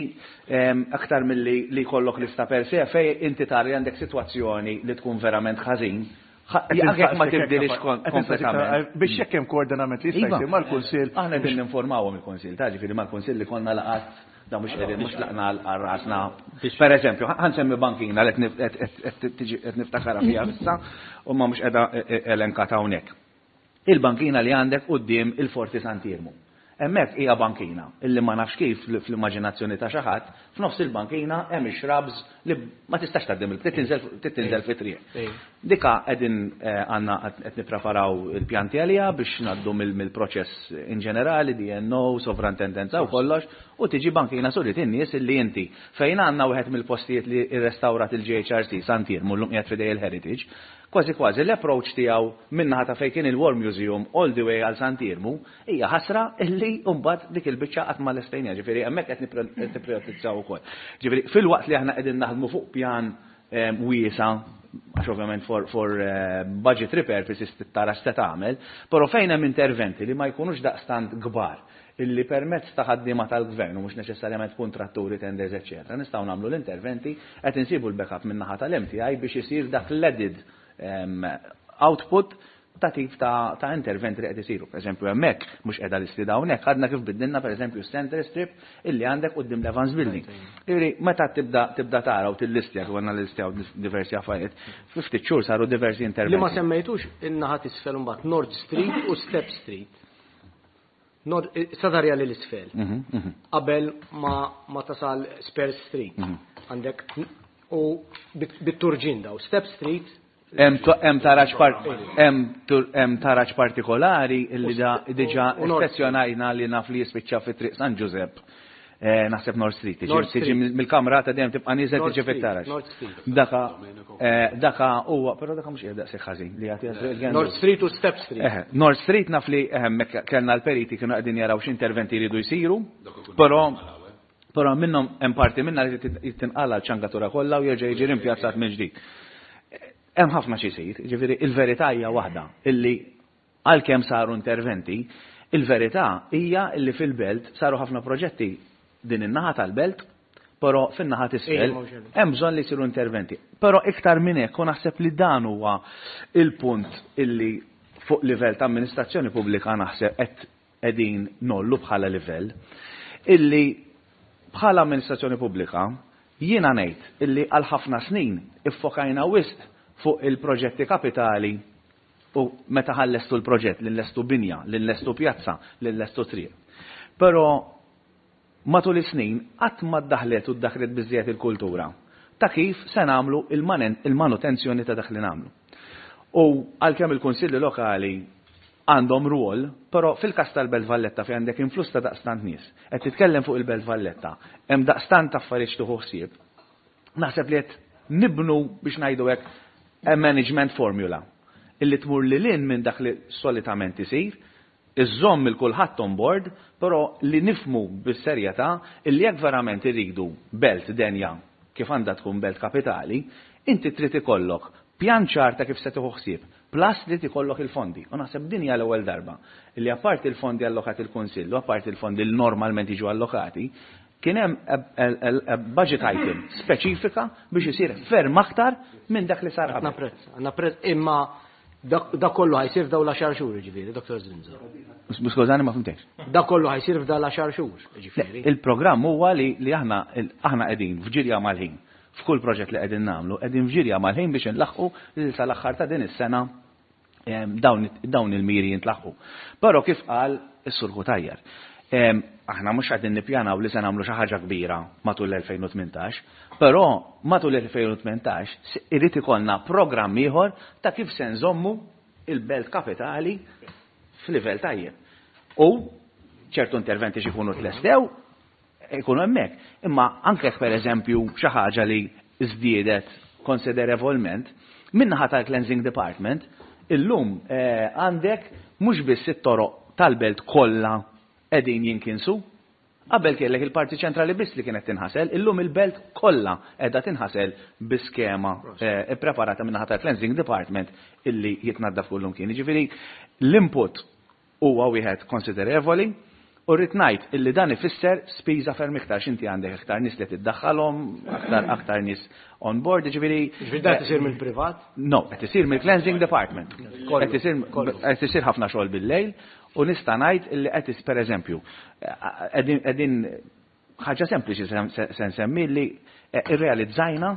aktar milli li jkollok lista per se fej inti tara li għandek sitwazzjoni li tkun verament ħażin. Anke jekk ma tibdilix kompletament. Biex jekk hemm koordinament li jista' jsir mal-Kunsill. Aħna qegħdin ninformawhom il-Kunsill, ta' ġifieri mal-Kunsill li konna laqgħat Da mhux qegħdin mhux tlaqna għal rasna. Per eżempju, ħa nsemmi bankina li qed niftakarha fiha issa u ma mhux qiegħda elenkata hawnhekk. Il-bankina li għandek quddiem il-Forti Sant'Iermu. Hemmhekk hija bankina illi ma nafx kif fl-immaġinazzjoni ta' xi ħadd, f'nofs il-bankina hemm ix-shrubs li ma tistax tgħaddi mill trid tinżel fit-triq. Dika qegħdin għandna qed nippreparaw il-pjanti għaliha biex ngħaddu mill-proċess in ġenerali, DNO, sovrantendenza u kollox, u tiġi bankina surit in-nies illi inti fejn għandna wieħed mill-postijiet li rrestawrat il-GHRC, Sant'Iermu, llum qiegħed f'idej il-Heritage, kważi kważi l-approach tiegħu min-naħa ta' fejn kien il-War Museum all the way għal Sant'Iermu hija ħasra illi mbagħad dik il-biċċa qatt ma lestejniha, ġifieri hemmhekk qed nipprijoritizzaw ukoll. Ġifieri filwaqt li aħna qegħdin naħdmu fuq pjan wiesa' għax ovvjament for, for budgetary purposes tara x'se tagħmel, però fejn hemm interventi li ma jkunux daqstant kbar illi permezz ta' ħaddiema tal-gvern u mhux neċessarjament kuntratturi, tenders, eċċetera, nistgħu nagħmlu l-interventi, qed insibu l-backup min-naħa tal-MTI biex isir dak l-added output. ta' tip ta', ta interventi li qed isiru. Per eżempju, hemmhekk mhux qiegħda listi hawnhekk, għadna kif biddilna pereżempju center strip illi għandek quddiem l-Evans Building. Jiġifieri meta tibda tibda tara u tillistja kif għandna listjaw diversi affarijiet, fi ftit xhur saru diversi interventi. Li ma semmejtux in-naħa t'isfel imbagħad North Street u Step Street. Nord, Sadarja l isfel. Qabel ma, ma tasal Spurs Street. Għandek u bit-turġin daw. Step Street Hemm taraġ hemm taraġ partikolari illi da diġà ispezzjonajna li naf li jispiċċa fi Triq San Ġużepp. Eh, naħseb North Street, tiġi mill-kamra ta' dejjem tibqa' nieżel tiġi fit-taraġ. Daka eh, daka huwa, però daka mhux qiegħed daqshekk ħażin li jagħti North Street u Step Street. Eh, North Street naf li hemmhekk kellna l-periti kienu qegħdin jaraw x'interventi jridu jsiru, però Però minnhom hemm parti minnha li tinqala l-ċangatura kollha u jerġa' jiġi rimpjazzat mill-ġdid. Hemm ħafna xi jsir, jiġifieri il-verità hija waħda illi għalkemm saru interventi, il-verità hija illi fil-belt saru ħafna proġetti din in-naħa tal-belt, però fin-naħa t'isfel hemm bżonn li jsiru interventi. Però iktar minn hekk u naħseb li dan huwa il-punt illi fuq livell ta' amministrazzjoni pubblika naħseb qed qegħdin ngħollu bħala livell, illi bħala amministrazzjoni pubblika jiena ngħid illi għal ħafna snin iffokajna wisq fuq il-proġetti kapitali u meta ħa nlestu l-proġett, li nlestu binja, li nlestu pjazza, li nlestu triq. Però matul is-snin qatt ma ddaħlet u ddaħlet biżżejjed il-kultura ta' kif se nagħmlu il-manutenzjoni ta' dak li nagħmlu. U għalkemm il-kunsilli lokali għandhom rwol, però fil-każ tal-Belt Valletta fejn għandek influss ta' daqstant nies, qed titkellem fuq il-Belt Valletta, hemm daqstant affarijiet x'tieħu ħsieb, naħseb li qed nibnu biex ngħidu hekk a management formula illi tmur lil hinn minn dak li solitament isir, iżżomm il kulħadd on board, però li nifhmu bis-serjetà illi jekk verament irridu belt denja kif għandha tkun belt kapitali, inti trid ikollok pjan ċar ta' kif se tieħu ħsieb, plus li ikollok il-fondi. U naħseb din hija l-ewwel darba li apparti il-fondi allokati il-Kunsill u apparti il-fondi li normalment jiġu allokati, kien hemm budget item speċifika biex isir ferm aktar minn dak li sar qabel. Napprezza, napprezza, imma da kollu ħa jsir f'daw l-10 xhur, ġifieri, Dr. Zrinzo. Skużani ma fhimtekx. Da kollu ħa jsir f'daw l-10 xhur, ġifieri. Il-programm huwa li aħna qegħdin f'ġirja mal-ħin. F'kull proġett li qegħdin nagħmlu, qegħdin f'ġirja mal-ħin biex inlaħqu li sal-aħħar ta' din is-sena dawn il-miri jintlaħqu. Però kif qal is-Sur Cutajar, aħna mhux qegħdin nippjanaw li se nagħmlu xi ħaġa kbira matul l-2018, però matul l-2018 irid ikollna programm ieħor ta' kif se nżommu il-belt kapitali f'livell tajjeb. U ċertu interventi xi jkunu tlestew, ikunu hemmhekk. Imma anke per eżempju xi ħaġa li żdiedet konsiderevolment, min-naħa tal-Cleansing Department, illum għandek mhux biss it-toroq tal-belt kollha qegħdin jinkinsu. Qabel kellek il-parti ċentrali biss li kienet tinħasel, illum il-belt kollha qiegħda tinħasel bi skema ippreparata min-naħa tal-Cleansing Department illi jitnaddaf kullum kien. Jiġifieri l-input huwa wieħed konsiderevoli u rrid ngħid illi dan ifisser spiża ferm iktar x'inti għandek iktar nies li tiddaħħalhom, aktar aktar nies on board, jiġifieri. Jiġifieri dan isir mill-privat? No, qed isir mill-cleansing department. Qed isir ħafna xogħol bil-lejl u nista' ngħid illi qed pereżempju qegħdin ħaġa sempliċi se nsemmi li irrealizzajna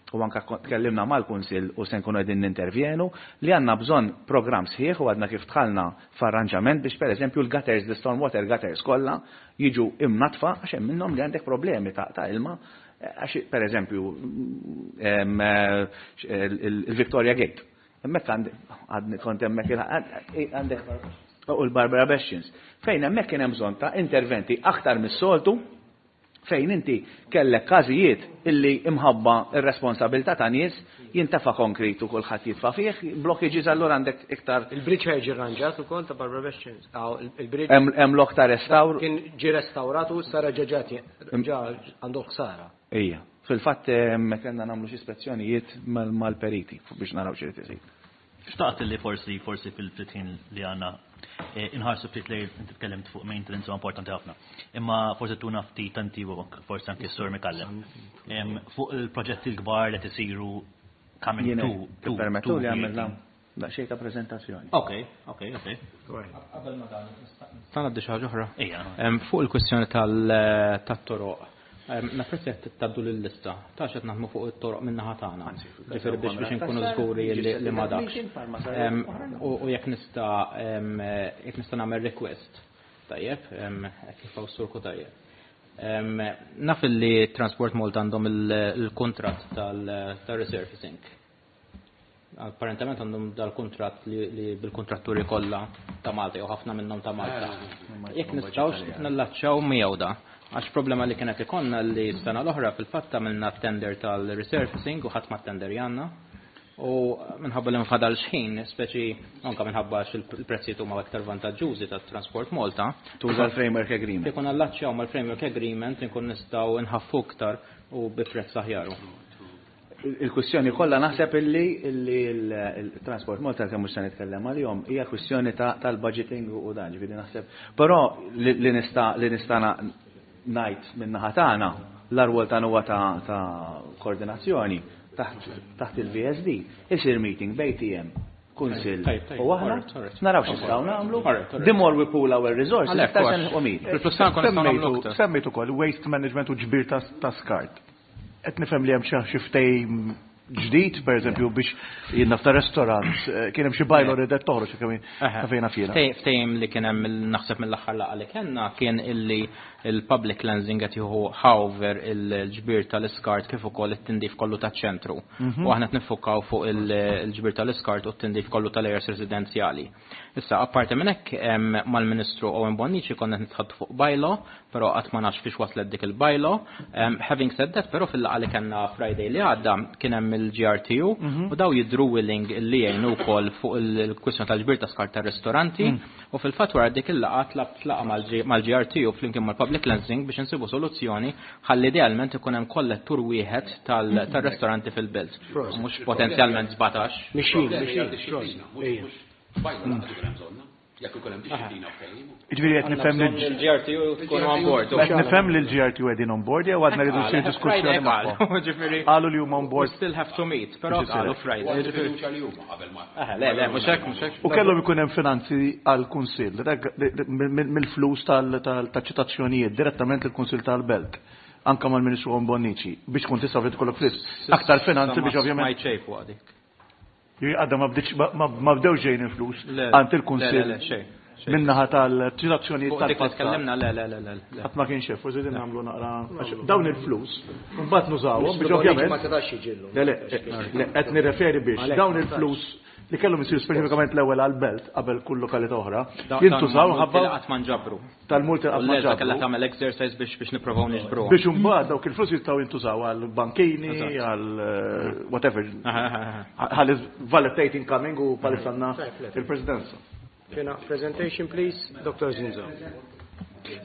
u anka tkellimna mal-Kunsill u se nkunu qegħdin nintervjenu li għandna bżonn programm sħiħ u għadna kif dħalna f'arranġament biex pereżempju l-gutters, the stormwater gutters kollha jiġu imnatfa għax hemm minnhom li għandek problemi ta' ilma għax pereżempju il-Victoria Gate. Hemmhekk għadni kont hemmhekk għandek u l-Barbara Bastions. Fejn hemmhekk kien hemm bżonn ta' interventi aktar mis-soltu fejn inti kellek każijiet illi imħabba ir-responsabilità ta' nies jintefa' konkrit u kulħadd jitfa' fih, blockages allura għandek iktar. Il-bridge ħa jiġi rranġat ukoll ta' Barbara Bastions. Il-bridge. Hemm lok ta' restawr. Kien ġi restawrat u sara ġeġat ġa għandu ħsara. Ija. Fil-fatt kellna nagħmlu xi ispezzjonijiet mal-periti biex naraw x'irid isir. Xtaqt li forsi fil-ftit ħin li għandna inħarsu ftit li inti tkellimt fuq maintenance u importanti ħafna. Imma forsi tuna ftit tanti forsi anke s-Sur Micallef. Fuq il-proġetti l-kbar li tisiru coming to. Permettu li għamilna. Daqsxejn ta' preżentazzjoni. Ok. Qabel ma dan, nista' ngħaddi xi ħaġa oħra? Ejja. Fuq il-kwistjoni tat-toroq. Napprezza jekk tgħaddu lil-lista ta' x'qed naħdmu fuq it-toroq min-naħa tagħna. Ġifieri biex inkunu żguri li ma dakx. U jekk nista' nagħmel request. Tajjeb, hekk kif hawn Sur Cutajar. Naf li Transport Malta għandhom il-kuntratt tal-resurfacing. Apparentement għandhom dal-kuntratt li bil-kontratturi kollha ta' Malta jew ħafna minnhom ta' Malta. Jekk nistgħux nallaċċaw miegħu da. Għax problema li kienet ikollna li s-sena l-oħra fil-fatt għamilna tender tal-resurfacing u ħadd ma tender janna. U minħabba li nfadal xħin, speċi anka minħabba għax il-prezzijiet huma aktar vantaġġużi tat Transport Malta. Tuża l-framework agreement. Ikun allaċċjaw mal-framework agreement inkun nistgħu nħaffu iktar u bi prezz aħjar. Il-kwistjoni kollha naħseb illi il-Transport Malta, kemm mhux se nitkellem għalihom, hija kwistjoni tal-budgeting u dan, ġifieri naħseb. Però li nista' ngħid min-naħa tagħna, l-arwol tagħna huwa ta' koordinazzjoni taħt il-VSD, isir meeting bejn TM, Kunsill u aħna naraw x'nistgħu nagħmlu. The more we pool our resources, iktar se nilħqu miri. Semmejtu ukoll waste management u ġbir ta' skart. Qed nifhem li hemm xi ftehim ġdid, per eżempju, biex jiena ta' restaurant, kien hemm xi bylaw li qed toħroġ kemm fejna fina. Ftehim li kien hemm, naħseb mill-aħħar laqgħa li kellna, kien illi il-public cleansing qed jieħu over il-ġbir tal-iskart kif ukoll it-tindif kollu taċ-ċentru. U aħna qed niffukaw fuq il-ġbir tal-iskart u t-tindif kollu tal-areas residenzjali. Issa, apparti minn hekk, mal-Ministru Owen Bonnici konna nitħaddtu fuq bylaw, però qatt ma nafx fiex waslet dik il-bylaw. Having said that, però fil-laqgħa li kellna Friday li għadda kien hemm il-GRTU u daw jidru willing li jgħinu wkoll fuq il-kwistjoni tal-ġbir ta' skart tar-ristoranti u fil-fatt wara dik il-laqgħa tlabt laqgħa mal-GRTU flimkien mal-Public Cleansing biex insibu soluzzjoni ħalli idealment ikun hemm kollettur wieħed tal-ristoranti fil-belt. Mhux potenzjalment 17. Mixin, mixin. Jekk ikun hemm dixxiplina u ftehim. Ġifieri qed nifhem li l-GRTU tkunu on board. Qed nifhem li l-GRTU qegħdin on board jew għadna rridu ssir diskussjoni magħhom. Ġifieri Qalu li huma on we board. still have to meet, però Biex isir. qalu Friday. U Ġifieri fiduċja li huma qabel ma. Le, le, mhux hekk, mhux hekk. U kellhom ikun hemm finanzi għall-Kunsill mill-flus tal-ċitazzjonijiet direttament il-Kunsill tal-Belt, anka mal-Ministru Bonnici, biex tkun tista' tkollok flus. Aktar finanzi biex ovvjament. Ma jċejfu għadik. Għadda ma bdiċ ma bdew ġejn il-flus Le, għand le, il-Kunsill le, xejn, xejn. minnaħa tal-ċitazzjonijiet Fuq dik li tal-passat. tkellimna, le, le, le, le, le. Qatt ma kien xef, forsi din nagħmlu naqra għax dawn il-flus, mbagħad nużawhom biex Ma ovvjament. setax jiġillu. Le, le, le, qed nirreferi biex dawn il-flus li kellhom isiru speċifikament l-ewwel għall-belt qabel kull lokalità oħra, jintużaw ħabba qatt ma nġabru. tal-multi U qatt ma l-Elsa kellha ġabru. tagħmel exercise biex nippruvaw niġbru. Biex imbagħad dawk il-flus jistgħu jintużaw għal bankini, għal whatever. Ħalli Valletta incoming u palissa għandna il-presidenza. Fina, presentation please, Dr. Zinzo.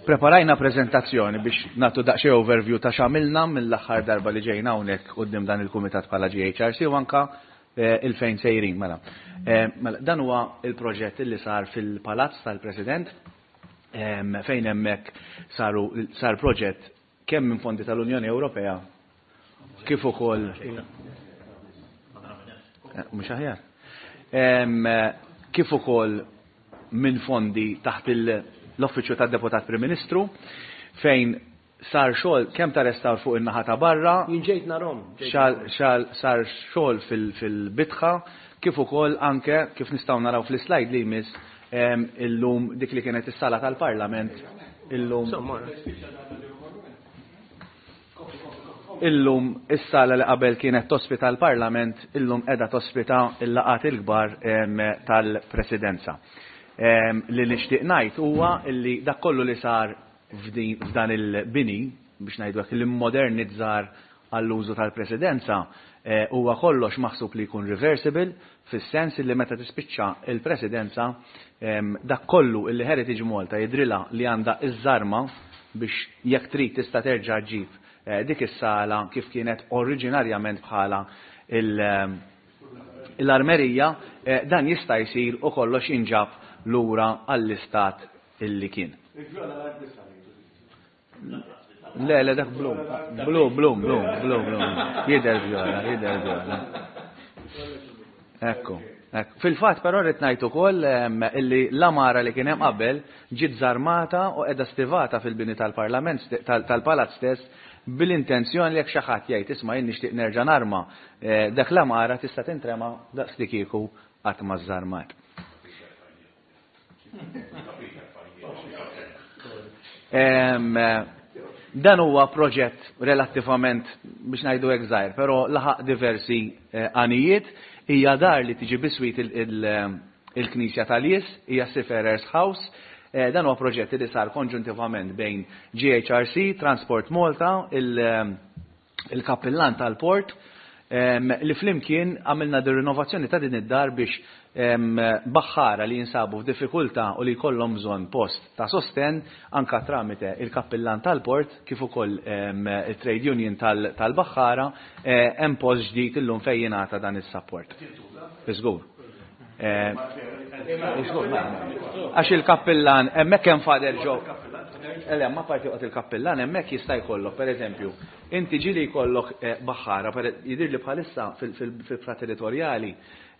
Preparajna prezentazzjoni biex nagħtu daqsxejn overview ta' x'għamilna mill-aħħar darba li ġejna hawnhekk quddiem dan il-kumitat bħala GHRC u anka il-fejn sejrin mela. Mela dan huwa il-proġett li sar fil-Palazz tal-President fejn hemmhekk sar proġett kemm minn fondi tal-Unjoni Ewropea kif ukoll mhux aħjar. Kif ukoll minn fondi taħt l-Uffiċċju tad-Deputat Prim Ministru fejn sar xogħol kemm ta' restawr fuq in-naħa ta' barra, Jien ġejt narahom. Sar xogħol fil-bitħa kif ukoll anke kif nistgħu naraw fl-slide li jmiss illum dik li kienet is-sala tal-Parlament illum is-sala li qabel kienet tospita l-Parlament illum qiegħda tospita l-laqgħat il-kbar tal-Presidenza. Li nixtieq ngħid huwa li dak kollu li sar f'dan il-bini, biex ngħidu hekk, li modernizzar għall-użu tal-Presidenza, huwa kollox maħsub li jkun reversible fis-sens li meta tispiċċa il-Presidenza dak kollu illi Heritage Malta jidrilha li għandha iż-żarma biex jekk trid tista' terġa' ġib dik is-sala kif kienet oriġinarjament bħala l-armerija, dan jista' jsir u kollox jinġab lura għall-istat illi kien. Le, le, dak blu. Blu, blu, blu, blu, blu. Jidher vjola, jidher vjola. Ekku, Fil-fatt però rrid ngħid ukoll illi l-għamara li kien hemm qabel ġiet żarmata u qiegħda stivata fil-bini tal-Parlament tal-Palazz stess bil-intenzjoni li jekk xi ħadd jgħid isma' jien nixtieq nerġa' narma dak l-għamara tista' tintrema daqs li kieku qatt ma żarmat. Dan huwa proġett relattivament biex ngħidu hekk żgħir, però laħaq diversi eh, għanijiet. Hija dar li tiġi biswit il-Knisja tal-Jies, hija Seafarers House. Eh, dan huwa proġett li sar konġuntivament bejn GHRC, Transport Malta, il-kappillan tal-port, li flimkien għamilna dir rinnovazzjoni ta' din id-dar biex baħħara li jinsabu f'diffikultà u li jkollhom bżonn post ta' sostenn anka tramite il-kappillan tal-port kif ukoll it-trade union tal-baħħara eh, hemm post ġdid illum fejn jingħata dan is-support. Żgur. Eh, għax il-kappillan hemmhekk hemm fader ġo. Ele, ma parti il-kappillan hemmhekk jista' jkollok, pereżempju, Inti ġieli jkollok baħħara, jidhirli bħalissa fil-ibħra territorjali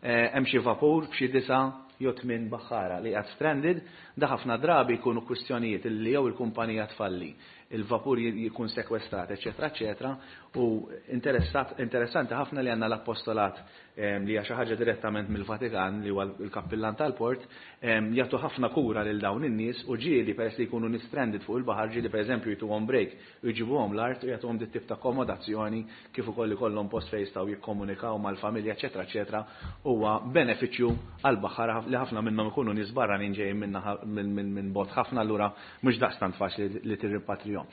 hemm xi vapur b'xi disa' jew tmien baħħara li qiegħed stranded, da ħafna drabi jkunu kwistjonijiet li jew il-kumpanija tfalli, il-vapur jkun sekwestrat, eċċetera, eċċetera, u interessanti ħafna li għandna l-appostolat li hija xi ħaġa direttament mill-Vatikan li huwa l-kappillan tal-port, jagħtu ħafna kura lil dawn in-nies u ġieli peress li jkunu nies stranded fuq il-baħar ġieli pereżempju jtuhom break u jġibuhom l-art u jagħtuhom dit-tip ta' akkomodazzjoni kif ukoll ikollhom post fejn jistgħu jikkomunikaw mal-familja eċċetera eċċetera huwa benefiċċju għall-baħħara li ħafna minnhom ikunu nies barranin ġejjin minn minn bogħod ħafna allura mhux daqstant faċli li tirrimpatrihom.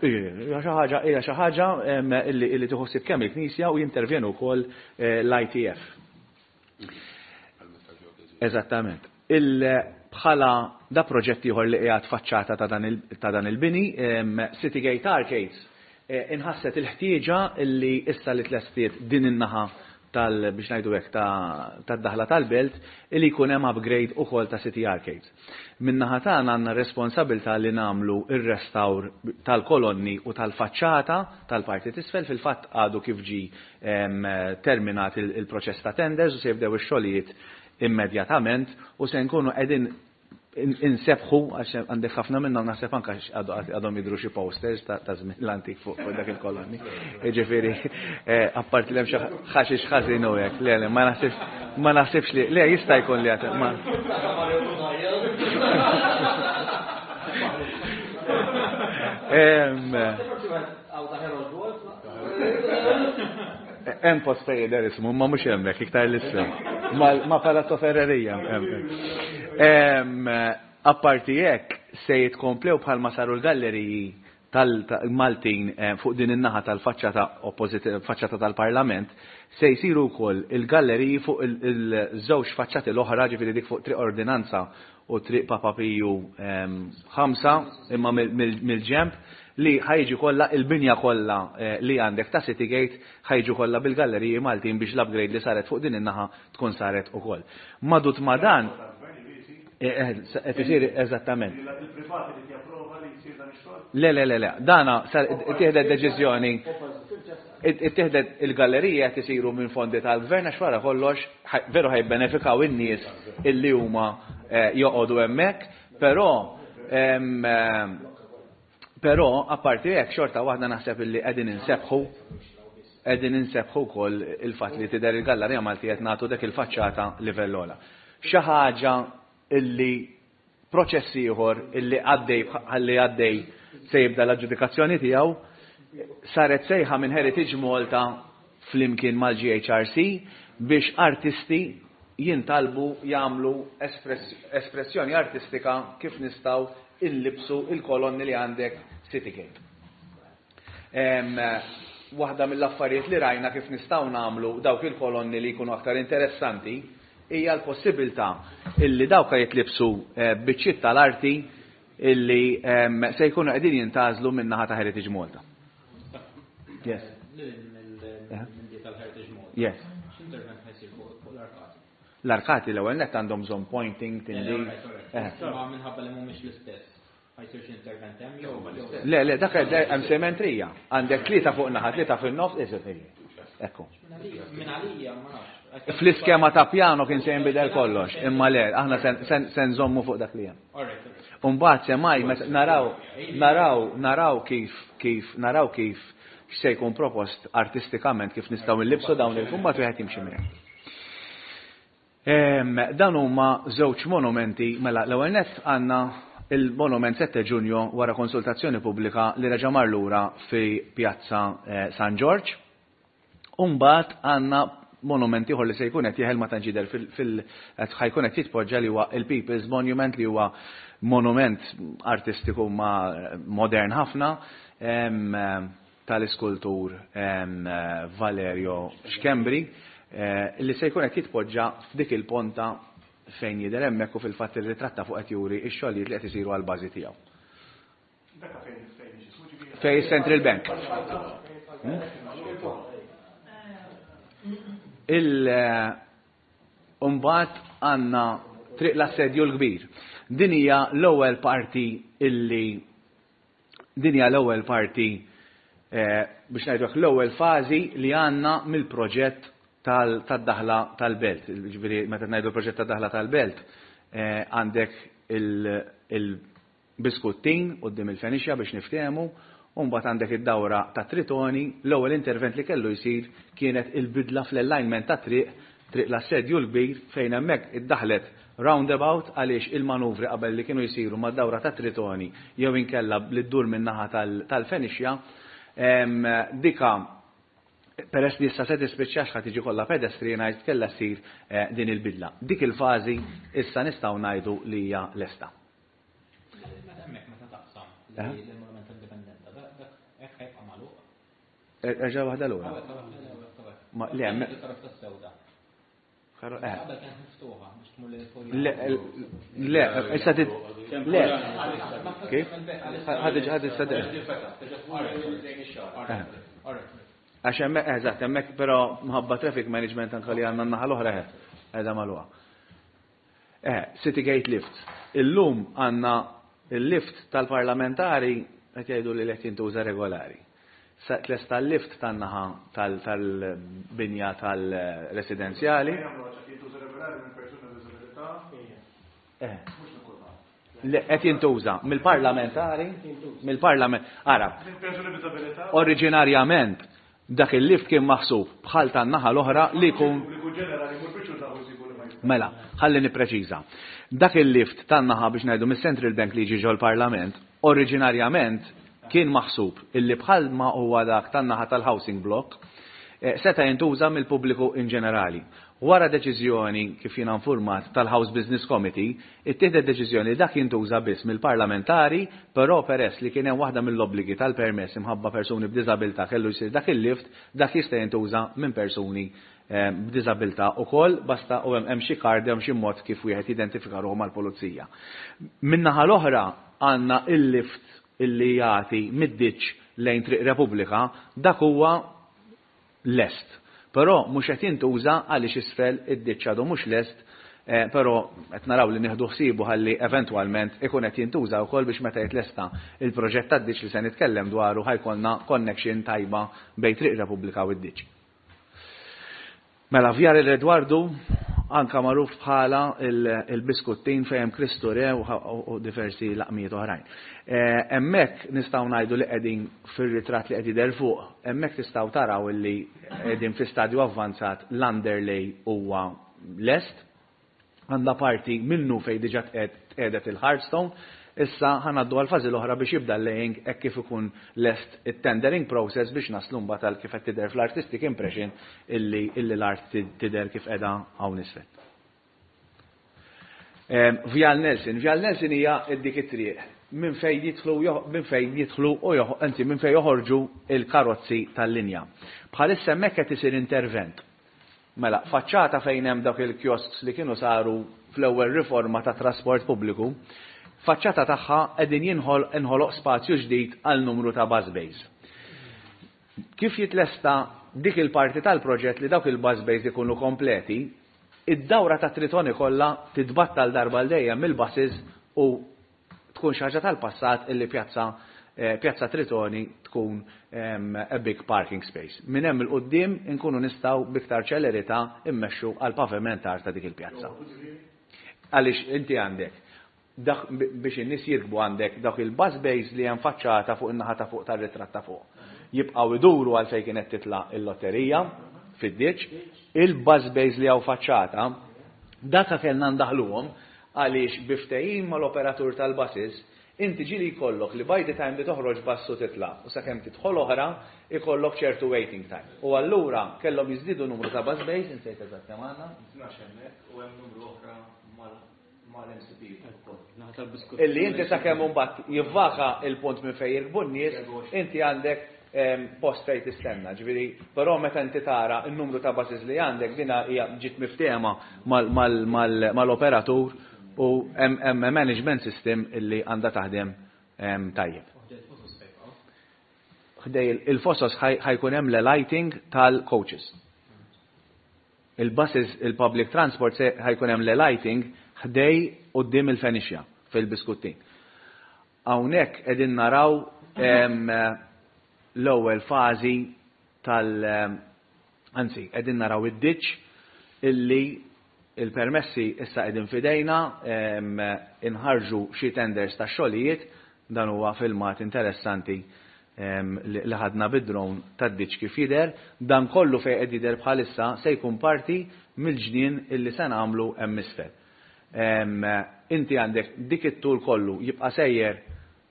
Hija xi ħaġa hija xi ħaġa illi tieħu ħsieb kemm il-Knisja u jintervjenu wkoll eh, l-ITF. Eżattament. Bħala da proġett ieħor li qiegħed faċċata ta' dan il-bini, City Gate Arcades, eh, inħasset il-ħtieġa li issa li tlestiet din in-naħa tal biex ngħidu hekk tad-daħla tal-belt li jkun hemm upgrade ukoll ta' City Arcades. Min-naħa tagħna għandna r-responsabilità li nagħmlu r-restawr tal-kolonni u tal-faċċata tal-parti t'isfel, fil-fatt għadu kif ġie terminat il-proċess ta' tenders u se jibdew ix-xogħlijiet immedjatament u se nkunu qegħdin insebħu għax għandek ħafna minnhom naħseb anke għadhom jidhru xi posters ta' żmien l-antik fuq dak il-kolonni. Jiġifieri eh, apparti li hemm xi ħaxix ħażin u hekk, le le ma naħsibx ma naħsibx li le jista' jkun li għad ma. Hemm post fejn jidher ismu, ma mhux hemmhekk iktar l-isfel. Ma Palazzo Ferrerija hemm. Apparti hekk se jitkomplew bħalma saru l-galleriji tal-Maltin eh, fuq din in-naħa tal-faċċata opposite faċċata tal-Parlament, se jsiru wkoll il-galleriji fuq il-żewġ faċċati l-oħra, ġifieri dik fuq Triq Ordinanza u Triq Papa Piju 5 imma mill-ġemp li ħa jiġi kollha il-binja kollha li għandek ta' City Gate ħa jiġu kollha bil-galleriji Maltin biex l-upgrade li saret fuq din in-naħa tkun saret ukoll. Madut ma' dan qed isir eżattament. Il-privat irid japprova li jsir dan ix-xogħol? Le, le, le, le. Dana sar ittieħdet deċiżjoni ittieħdet il-gallerija qed isiru minn fondi tal-gvern għax wara kollox veru ħajbenefikaw in-nies illi huma joqogħdu hemmhekk, però Però, apparti hekk, xorta waħda naħseb illi qegħdin insebbħu qegħdin insebbħu wkoll il-fatt li tidher il-Gallarija Maltija qed nagħtu dak il-faċċata livell ogħla. Xi ħaġa illi proċess ieħor illi għaddej ħalli għaddej se jibda l-aġġudikazzjoni tiegħu saret sejħa minn Heritage Malta flimkien mal-GHRC biex artisti jintalbu jagħmlu espressjoni artistika kif nistgħu inlibbsu il-kolonni li għandek Citygate. Waħda mill-affarijiet li rajna kif nistgħu nagħmlu dawk il-kolonni li jkunu aktar interessanti hija l-possibilità illi dawk jitlibsu eh, biċċiet tal-arti illi se jkunu qegħdin jintgħażlu min-naħa ta' Heritage Malta. Yes. Yes. L-arkati l-ewwel nett għandhom bżonn pointing, tindif. Eh. Ma minħabba li mhumiex l-istess. Ma jsirx intervent hemm jew. Le, le, dak hemm sementrija. Għandek tlieta fuq naħa, tlieta fin-nofs, eżatt. Ekku. Minn għalija ma nafx. Fl-iskema ta' pjano kien se jinbidel kollox, imma le, aħna se nżommu fuq dak li hemm. Umbagħad semmai meta naraw naraw naraw kif kif naraw kif x'se jkun propost artistikament kif nistgħu nlibsu dawn il-kumbat wieħed jimxi minn hekk. Dan huma żewġ monumenti, mela l-ewwel nett għandna il-monument 7 Ġunju wara konsultazzjoni pubblika li reġa' mar lura fi Pjazza San Ġorġ. U mbagħad għandna monument ieħor li se jkun qed jeħel ma tantx jidher fil ħa jkun qed jitpoġġa li huwa il-People's Monument li huwa monument artistiku ma modern ħafna tal-iskultur Valerio Schembri li se jkun qed jitpoġġa f'dik il-ponta fejn jidher hemmhekk u fil-fatt ir-ritratt ta' fuq qed juri x-xogħlijiet li qed isiru għall-bażi tiegħu. Fejn Central Bank. Il Imbagħad għandna Triq l-Assedju l-Kbir. Din hija l-ewwel parti illi Din hija l-ewwel parti, biex ngħidu hekk, l-ewwel fażi li għandna mill-proġett tad-daħla tal-belt. Jiġifieri meta ngħidu l-proġett tad-daħla tal-belt, għandek il-Biskuttin quddiem il-Fenixja biex niftehmu, u mbagħad għandek id-dawra tat-Tritoni. L-ewwel intervent li kellu jsir kienet il-bidla fl-alignment tat-triq Triq l-Assedju l-Kbir fejn hemmhekk iddaħħlet roundabout għaliex il-manuvri qabel li kienu jsiru mad-dawra tat-Tritoni jew inkella li ddur min-naħa tal-Fenixja dika peress li issa se tispiċċa għax ħa tiġi kollha pedestrianised kellha ssir din il-bidla. Dik il-fażi issa nistgħu ngħidu li hija lesta. Meta hemmhekk meta taqsam l-Monument tal-Indipendenza, dak hekk ħajbqa' magħluq? Erġa' waħda lura. Ma le hemm. Le, le, issa tit. Le. Kif? Ħad ħad issa Għax hemmhekk eżatt, hemmhekk però mħabba traffic management anke li għandna n-naħa l-oħra qiegħda magħluqa. Eh, City Gate Lifts. Illum għandna il-lift tal-parlamentari qed jgħidu li qed jintuża regolari. Sa tlesta l-lift tan-naħa tal-binja tal-residenzjali. Eh. Le, qed jintuża mill-parlamentari, mill-parlament. Ara, oriġinarjament Dak il-lift kien maħsub bħal tan-naħa l-oħra li jkun. Mela, ħalli nippreċiża. Dak il-lift tan-naħa biex ngħidu mis-Central Bank li jiġi ġol-Parlament, oriġinarjament kien maħsub illi bħal ma huwa dak tan-naħa tal-housing block, seta' jintuża mill-pubbliku in ġenerali. Wara deċiżjoni, kif jiena nfurmat, tal-House Business Committee, ittieħdet deċiżjoni li dak jintuża biss mill-parlamentari, però peress li kien hemm waħda mill-obbligi tal-permess imħabba persuni b'diżabilità kellu jsir dak il-lift, dak jista' jintuża minn persuni b'diżabilità ukoll, basta u hemm xi card hemm xi mod kif wieħed jidentifika ruħu mal-pulizija. Min-naħa l-oħra għandna il-lift illi jagħti mid-ditch lejn Triq Repubblika, dak huwa lest. Però mhux qed jintuża għaliex isfel id-ditch għadu mhux lest, però qed naraw li nieħdu ħsiebu ħalli eventwalment ikun qed jintuża wkoll biex meta jitlesta il-proġett tad-ditch li se nitkellem dwaru ħa jkollna connection tajba bejn Triq Repubblika u d-ditch. Mela, Vjal Edwardu, anka magħruf bħala il-Biskuttin fejn hemm Kristu Re u diversi laqmijiet oħrajn. Hemmhekk nistgħu ngħidu li qegħdin fir-ritratt li qed jidher fuq, hemmhekk tistgħu taraw illi qegħdin fi stadju avvanzat l-underlay huwa lest. Għandha parti minnu fejn diġà tqiegħdet il-hardstone. Issa ħa ngħaddu għall-fażi l-oħra biex jibda l-laying hekk kif ikun lest it-tendering process biex naslu mbagħad għal kif qed tidher fl-artistic impression illi illi l-art tidher kif qiegħda hawn isfel. Vjal Nelson. Vjal Nelson hija dik it-triq minn fejn jidħlu minn fejn jidħlu u anzi minn fejn joħorġu il-karozzi tal-linja. Bħalissa hemmhekk qed isir intervent. Mela, faċċata fejn hemm dawk il-kiosks li kienu saru fl-ewwel riforma tat-trasport pubbliku, faċċata tagħha qegħdin jinħol inħoloq spazju ġdid għal numru ta' bus bays. Kif jitlesta dik il-parti tal-proġett li dawk il-bus bays ikunu kompleti, id-dawra ta' Tritoni kollha titbattal darba għal dejjem mill-buses u tkun xi ħaġa tal-passat illi pjazza Pjazza Tritoni tkun a big parking space. Minn hemm 'il quddiem inkunu nistgħu b'iktar ċelerità immexxu għal pavimentar ta' dik il-pjazza. Għaliex inti għandek dak biex in-nies jirkbu, għandek dawk il-bus bays li hemm faċċata fuq in-naħa ta' fuq tar-ritratt ta' fuq. Jibqgħu iduru għal fejn kienet titla' il-lotterija fid-ditch. Il-bus bays li hawn faċċata, daka kellna ndaħluhom għaliex bi ftehim mal-operatur tal-buses, inti ġieli jkollok li by the time li toħroġ bus u titla' u sakemm tidħol oħra, ikollok ċertu waiting time. U allura kellhom jiżdiedu numru ta' bus bays, insejt eżatt kemm għandna. 12 hemmhekk u hemm numru oħra mal-MCP ukoll. Illi inti sakemm imbagħad jivvaka il-punt minn fejn jirkbu n-nies, inti għandek post fejn tistenna. Ġifieri, però meta inti tara n-numru ta' buses li għandek, dina hija ġiet miftehma mal-operatur u hemm management system illi għandha taħdem tajjeb. Ħdej il-fosos ħa jkun hemm l-lighting tal-coaches. Il-buses, il-public transport, se ħa jkun hemm l-lighting ħdej quddiem il-Fenixja fil-Biskuttin. Hawnhekk qegħdin naraw l-ewwel fażi tal, anzi, qegħdin naraw id-ditch illi il-permessi issa qegħdin fidejna, inħarġu xi tenders ta' xogħlijiet. Dan huwa filmat interessanti li ħadna bid-drone tad-ditch kif jidher. Dan kollu fejn qed jidher bħalissa se jkun parti mill-ġnien illi se nagħmlu hemm isfel. Inti għandek dik it-tul kollu jibqa' sejjer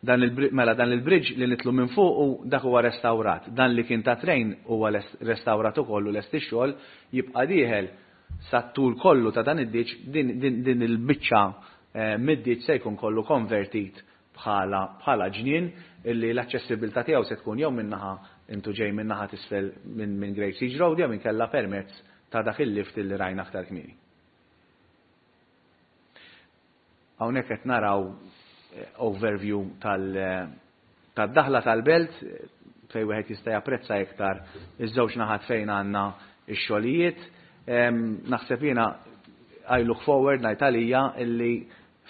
dan il mela dan il-bridge li nitlu minn fuq u dak huwa restawrat. Dan li kien ta' train huwa restawrat ukoll u lest ix-xogħol. Jibqa' dieħel sa tul kollu ta' dan id-ditch. Din il-biċċa mid-ditch se jkun kollu konvertit bħala ġnien illi l-aċċessibilità tiegħu se tkun jew minnaħa intu ġej minnaħa t'isfel minn Great Siege Road jew inkella permezz ta' dak il-lift illi rajna aktar kmieni. Hawnhekk qed naraw overview tad-daħla tal-belt fejn wieħed jista' japprezza iktar iż-żewġ naħat fejn għandna x-xogħlijiet. Naħseb jiena I look forward, ngħid għalija, illi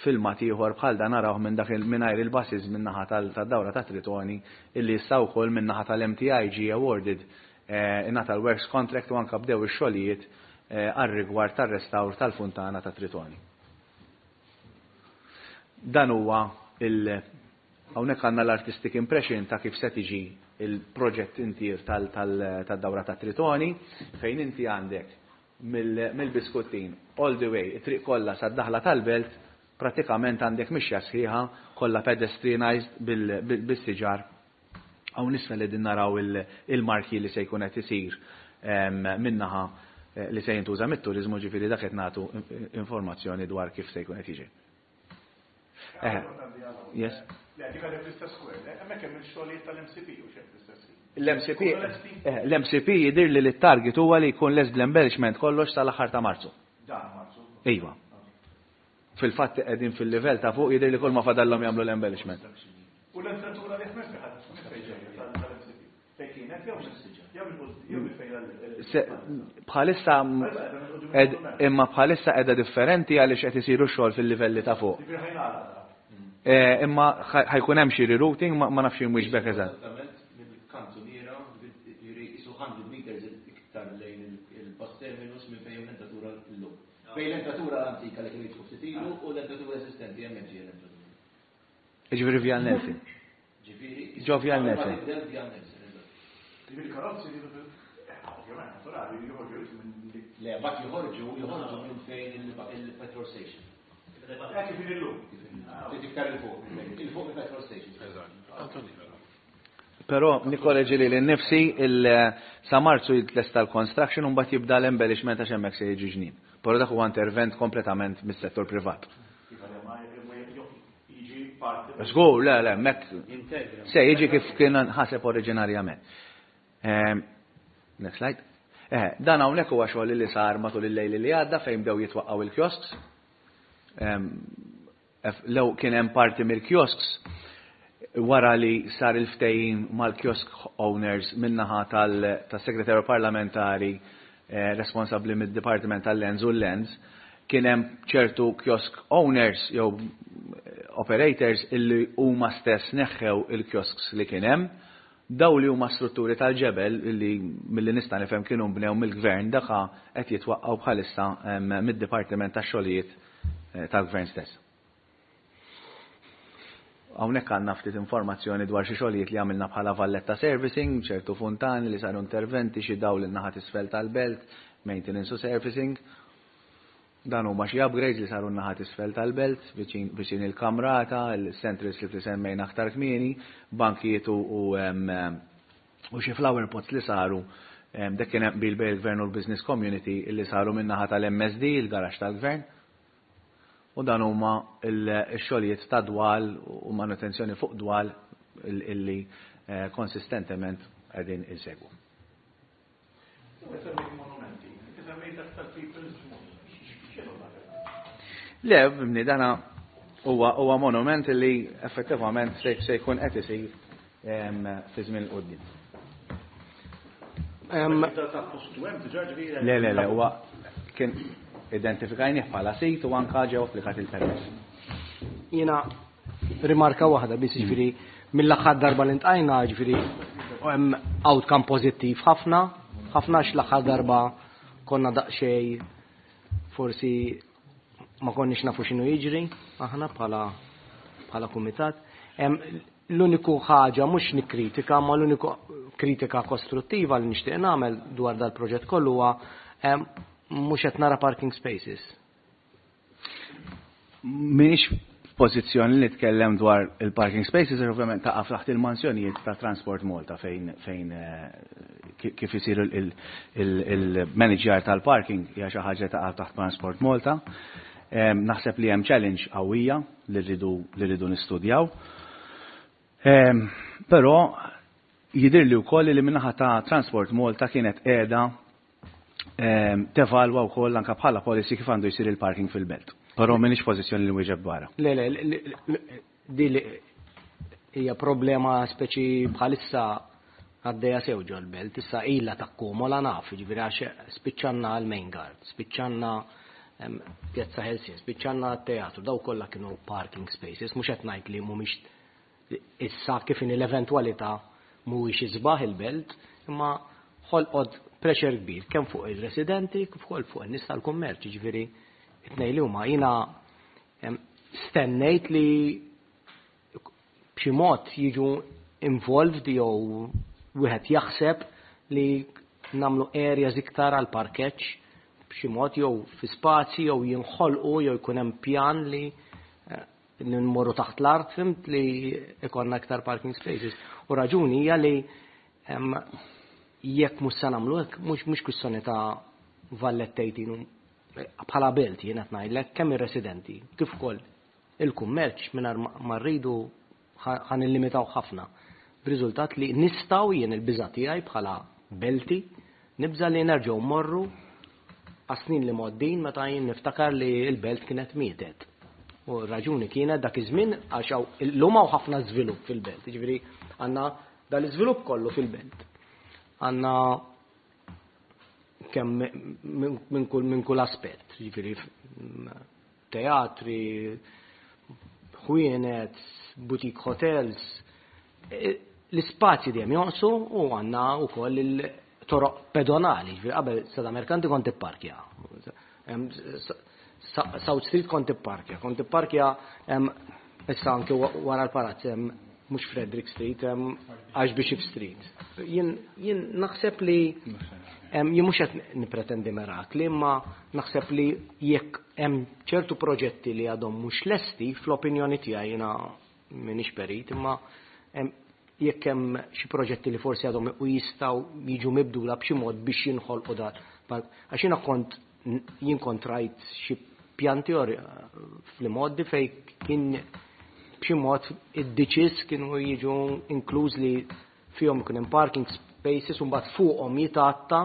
filmat ieħor bħal dan narawh minn dak mingħajr il-buses min-naħa tad-dawra ta' Tritoni, illi issa wkoll min-naħa tal-MTI ġie awarded, ingħata l-works contract u anke bdew ix-xogħlijiet għar-rigward tar-restawr tal-funtana ta' Tritoni. Dan huwa il hawnhekk għandna l-artistic impression ta' kif se tiġi il-proġett intier tad-dawra ta' Tritoni, fejn inti għandek mill-Biskuttin all the way, it-triq kollha sad-daħla tal-belt, pratikament għandek mixja sħiħa kollha pedestrianized bis-siġar. Hawn isfel qegħdin naraw il-marki li se jkun qed isir minnaħa li se jintuża mit-turizmu, ġifieri dak qed nagħtu informazzjoni dwar kif se jkun qed jiġi. Yes. Le, dik għadek l-istess square, hemmhekk hemm il-xogħlijiet tal-MCP u xejn fl-istess ħin. L-MCP jidir li l-target huwa li jkun lest bl-embellishment kollox sal-aħħar ta' Marzu. Dan Marzu. Iva. Fil-fatt qegħdin fil-livell ta' fuq, jidher li kull ma fadallhom jagħmlu l-embellishment. U l-entratura li ħmess ħadd fejn ġejja tal-MCP? Fejn kienet jew minn fejn Bħalissa imma bħalissa qiegħda differenti għaliex qed isiru xogħol fil-livelli ta' fuq. Ġifieri ħa jingħalaq. Imma ħa jkun hemm xi rerouting, ma nafx jien eżatt. Eżattament mill-kantuniera, ġifieri qisu 100 meters iktar lejn il-bus terminus minn fejn l-entratura llum. Bejn l-entratura l-antika li kienu jidħlu ftit ilu u l-entratura eżistenti, hemmhekk ġejja l-entratura. Ġifieri Vjal Nelson. Ġifieri Ġo Vjal Nelson. Tibdel Vjal Nelson, eżatt. Ġifieri karozzi ovvjament naturali joħorġu minn Le, bat joħorġu minn fejn il-petrol station. Kif illum. Ftit iktar il-fuq il-petrol station. Però nikkoreġi li l-nifsi sa Marzu jitlesta l-construction u mbagħad jibda l-embellishment għax hemmhekk se jiġi ġnien. Però dak huwa intervent kompletament mis-settur privat. Jiġi parti. Żgur, le, hemmhekk Integra. se jiġi kif kien ħaseb oriġinarjament. Next slide. Dan hawnhekk huwa xogħol li sar matul il-lejl li għadda fejn bdew jitwaqqgħu il-kiosks. Lew kien hemm parti mill-kiosks wara li sar il-ftehim mal-kiosk owners min-naħa tas-segretarju parlamentari responsabbli mid-Dipartiment tal-Lands u l-Lands, kien hemm ċertu kiosk owners jew operators illi huma stess neħħew il-kiosks li kien hemm. Daw li huma strutturi tal-ġebel li milli nista' nifhem kienu nbnew mill-gvern daka qed jitwaqqgħu bħalissa mid-Dipartiment tax-Xogħlijiet tal-Gvern stess. Hawnhekk għandna ftit informazzjoni dwar xi xogħlijiet li għamilna bħala Valletta Servicing, ċertu funtani li saru interventi, xi dawl in-naħa t'isfel tal-belt, maintenance u servicing. Dan huma xi upgrades li saru n-naħa t'isfel tal-belt, viċin il-kamrata, il-central slip li semmejna aktar kmieni, bankijiet u xi flower pots li saru. Dak kien hemm qbil bejn il-Gvern u l-business community li saru min-naħa tal-MSD, il-garaxx tal-Gvern. U dan huma x-xogħlijiet ta' dwal u manutenzjoni fuq dwal illi konsistentement qegħdin insegwu. Le, bni, dana huwa monument li effettivament se jkun qed isir fi żmien il-qudiem. Le, le, le, huwa kien identifikajnih bħala sit u anka ġew applikat il-permess. Jiena rimarka waħda biss, ġifieri mill-aħħar darba li ntqajna, ġifieri hemm outcome pożittiv ħafna, ħafna għax l-aħħar darba konna daqsxejn forsi ma konniex nafu x'inhu jiġri aħna bħala kumitat. L-uniku ħaġa mhux nikkritika, ma l-uniku kritika kostruttiva li nixtieq nagħmel dwar dal-proġett kollu huwa mhux qed nara parking spaces. M'iniex f'pożizzjoni li nitkellem dwar il-parking spaces, għax ovvjament taqa' taħt il-mansjonijiet ta' Transport Malta fejn kif isir il-manager tal-parking hija xi ħaġa taqa' taħt Transport Malta. Naħseb li hemm challenge qawwija li rridu nistudjaw. Però jidhirli li wkoll li min-naħa ta' Transport Malta kienet qiegħda tevalwa wkoll anke bħala policy kif għandu jsir il-parking fil-belt. Però m'iniex pożizzjoni li nwieġeb dwarha. Le, le, di li hija problema speċi bħalissa għaddejja sew ġol-belt, issa ilha takkumula naf, jiġifieri għax spiċċanna l-main guard, spiċċanna Pjazza Ħelsien, spiċċanna t-teatru, daw kollha kienu parking spaces, mhux qed ngħid li mhumiex issa kif inhi l-eventwalità mhuwiex isbaħ il-belt, imma ħolqod pressure kbir kemm fuq il-residenti kif ukoll fuq in-nies tal-kummerċ, jiġifieri it-tnejn li huma jiena stennejt li b'xi mod jiġu involved jew wieħed jaħseb li nagħmlu areas iktar għal parkeġġ b'xi mod jew fi spazji jew jinħolqu jew jkun hemm pjan li nmorru taħt l-art, fimt, li ikonna iktar parking spaces. U raġuni hija li jekk mhux se nagħmlu hekk, mhux kwistjoni ta' Valletta 18 bħala belt jien qed ngħidlek kemm ir-residenti kif ukoll il-kummerċ mingħajr ma rridu ħa nillimitaw ħafna. B'riżultat li nistgħu jien il-biża' tiegħi bħala belti nibża' li nerġgħu mmorru għas-snin li mgħoddin meta jien niftakar li l-belt kienet mietet. U r-raġuni kienet dak iż-żmien għax hawn illum hawn ħafna żvilupp fil-belt. Jiġifieri għandna dal-iżvilupp kollu fil-belt. Għandna kemm minn kull aspett, jiġifieri teatri, ħwienet, boutique hotels, l-ispazji dejjem jonqsu u għandna wkoll il-toroq pedonali, jiġifieri qabel Strada Merkanti kont ipparkja. South Street kont ipparkja, kont ipparkja issa anke wara l-palazz hemm mhux Frederick Street, hemm Archbishop Street. Jien naħseb li jien mhux qed nippretendi mirakli, imma naħseb li jekk hemm ċertu proġetti li għadhom mhux lesti, fl-opinjoni tiegħi jiena m'iniex perit, imma jekk hemm xi proġetti li forsi għadhom u jistgħu jiġu mibdula b'xi mod biex jinħolqu dan. Għax jiena kont jien kont rajt xi pjanti fl-modi fej kien b'xi mod id-ditches kienu jiġu inkluż li fihom ikun hemm parking spaces u mbagħad fuqhom jitgħatta,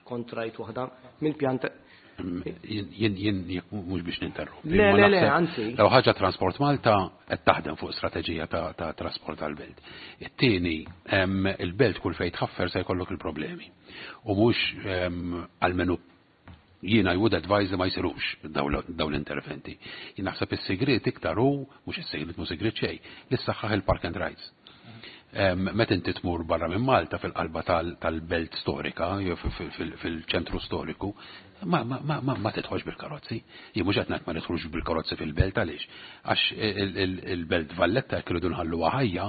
kont rajt waħda mill-pjanta. Jien mhux biex ninterrompi. Le, le, le, anzi. Law ħaġa Transport Malta qed taħdem fuq strateġija ta' trasport tal-belt. It-tieni, il-belt kull fejn tħaffer se jkollok il-problemi. U mhux għalmenu Jiena I would advise li ma jsirux dawn l-interventi. Jien naħseb is-sigriet iktar hu, mhux is-sigriet mhu sigriet xejn, li ssaħħaħ il-park and rides. Meta inti tmur barra minn Malta fil-qalba tal-belt storika, jew fil-ċentru storiku, ma tidħolx bil-karozzi. Jien mhux qed ngħid ma nidħlux bil-karozzi fil-belt għaliex. Għax il-belt Valletta jekk irridu nħalluha ħajja,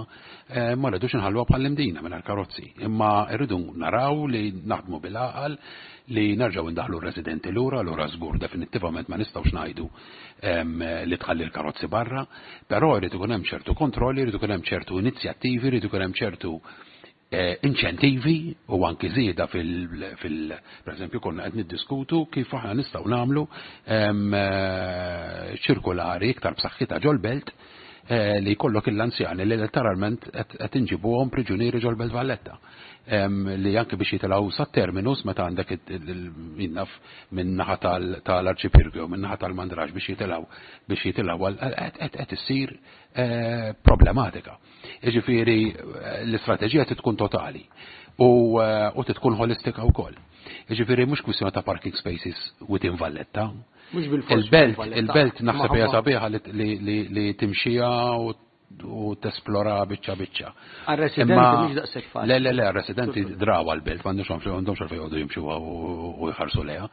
eh, ma rridux nħalluha bħall-imdina mingħajr karozzi. Imma rridu naraw li naħdmu bil-għaqal li nerġgħu ndaħlu r-residenti lura, lura żgur definittivament ma nistgħux ngħidu li tħalli l-karozzi barra, però jrid ikun hemm ċertu kontrolli, jrid ikun hemm ċertu inizjattivi, jrid ikun hemm ċertu eh, inċentivi u anki żieda fil, per eżempju konna qed niddiskutu kif aħna nistgħu nagħmlu eh, ċirkulari iktar b'saħħitha ġol-belt eh, li jkollok il-anzjani li letteralment qed inġibuhom priġunieri ġol-Belt Valletta. Li anke biex jitilgħu sat-terminus meta għandek jinnaf minn naħa tal-Arċipirgu minn naħa tal-Mandrax biex jitilgħu biex jitilgħu qed issir eh, problematika. Jiġifieri l-istrateġija tkun totali u eh, tkun holistika wkoll. Jiġifieri mhux kwistjoni ta' parking spaces within Valletta. Il-belt, il-belt naħseb hija sabiħa li timxija u tesplora biċċa biċċa. Għal-residenti mhux daqshekk faċli. Le, le, le, għal-residenti draw għal-belt, m'għandhomx għandhomx għalfejn jgħodu jimxu u jħarsu lejha.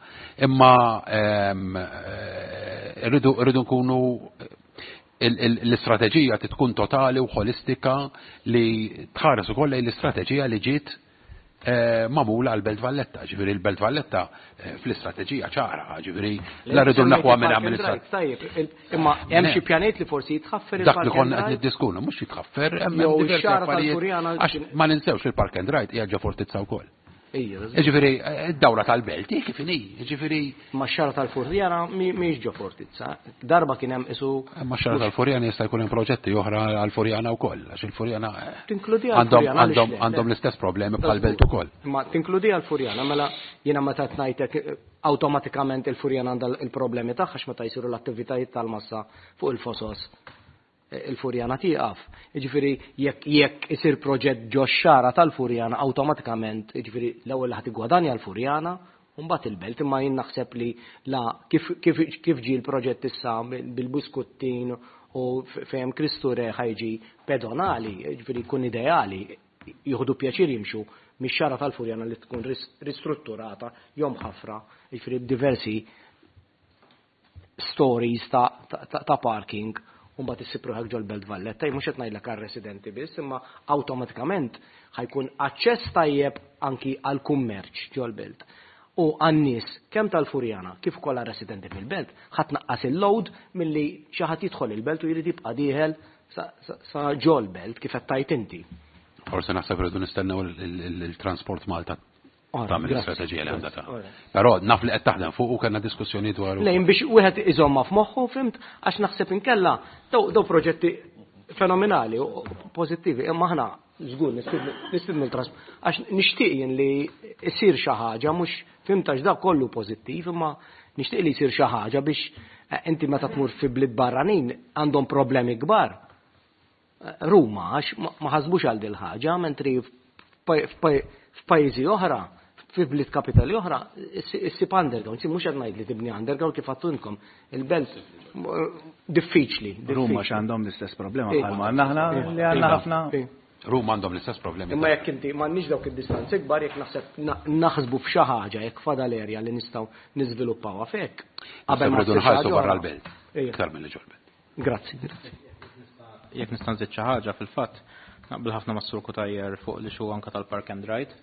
Imma eh, rridu nkunu l-istrateġija tkun totali u holistika li tħares ukoll lejn l-istrateġija li ġiet eh, magħmula għal Belt Valletta. Ġifieri l-Belt Valletta eh, fl-istrateġija ċara, ġifieri la rridu naħwa minn amministrazzjoni. Tajjeb, imma hemm xi pjanet li forsi jitħaffer Dak li konna qed niddiskunu, mhux jitħaffer, hemm diversi affarijiet. Għax ma ninsewx il-Park and Ride hija ġo fortizza wkoll. Ġifieri, id-dawra tal-belt, hi kif inhi, ġifieri. Ma xara tal-Furjana mhijiex ġo fortizza. Darba kien hemm isu. Ma xara tal-Furjana jista' jkun hemm proġetti oħra għall-Furjana wkoll, għax il-Furjana eh, tinkludi għandhom għandhom l-istess problemi bħal-belt ukoll. Ma tinkludi għall-Furjana, mela jiena meta tnajtek eh, awtomatikament il-Furjana għandha il-problemi tagħha għax meta jsiru l-attivitajiet tal-massa fuq il-fosos il-Furjana tieqaf. Jiġifieri jekk jekk isir proġett ġo xara tal-Furjana awtomatikament, jiġifieri l-ewwel ħadd igwadanja l-Furjana u mbagħad il-belt imma jien naħseb li la kif kif kif ġie l-proġett issa bil-Buskuttin u fejn Kristu Re ħajġi pedonali, jiġifieri jkun ideali jieħdu pjaċir jimxu mix-xara tal-Furjana li tkun ristrutturata jom ħafra, jiġifieri b'diversi stories ta', ta, ta parking u mbagħad issib ruħek ġol-Belt Valletta, mhux qed ngħidlek għar-residenti biss, imma awtomatikament ħajkun aċċess tajjeb anki għall-kummerċ ġol-belt. U għan-nies kemm tal-Furjana kif ukoll għar-residenti fil-belt ħadd naqqas il-load milli xi ħadd jidħol il-belt u jrid jibqa' dieħel sa, sa, sa ġol-belt kif qed tajt inti. Forse naħseb rridu nistennew il-Transport Malta tagħmel l-istrateġija li għandha ta' Però naf li qed taħdem fuq u kellna diskussjoni dwar. Lejn biex wieħed iżomma f'moħħu fimt għax naħseb inkella daw proġetti fenomenali u pożittivi imma aħna żgur nistidnu l-trasp għax nixtieq jien li jsir xi ħaġa mhux fimt għax dak kollu pożittiv imma nixtieq li jsir xi ħaġa biex eh, inti meta tmur fi bliet barranin għandhom problemi kbar Ruma għax ma ħasbux għal dil ħaġa, mentri f'pajjiżi oħra, fi bliet kapitali oħra, issib underground, mhux qed ngħid li tibni underground kif għattunkom, il-belt diffiċli. Ruma x'għandhom l-istess problema bħalma għandna aħna li għandna ħafna. Ruma għandhom l-istess problemi. Imma jekk inti m'għandniex dawk id-distanzi kbar jekk naħseb naħsbu f'xi ħaġa jekk fadal erja li nistgħu niżviluppawha f'hekk. Qabel ma nħarsu barra l-belt. Iktar milli ġol-belt. Grazzi. Jekk nista' nżid xi ħaġa fil-fatt, naqbel ħafna mas Sur Cutajar fuq li xu anka tal-Park and Ride.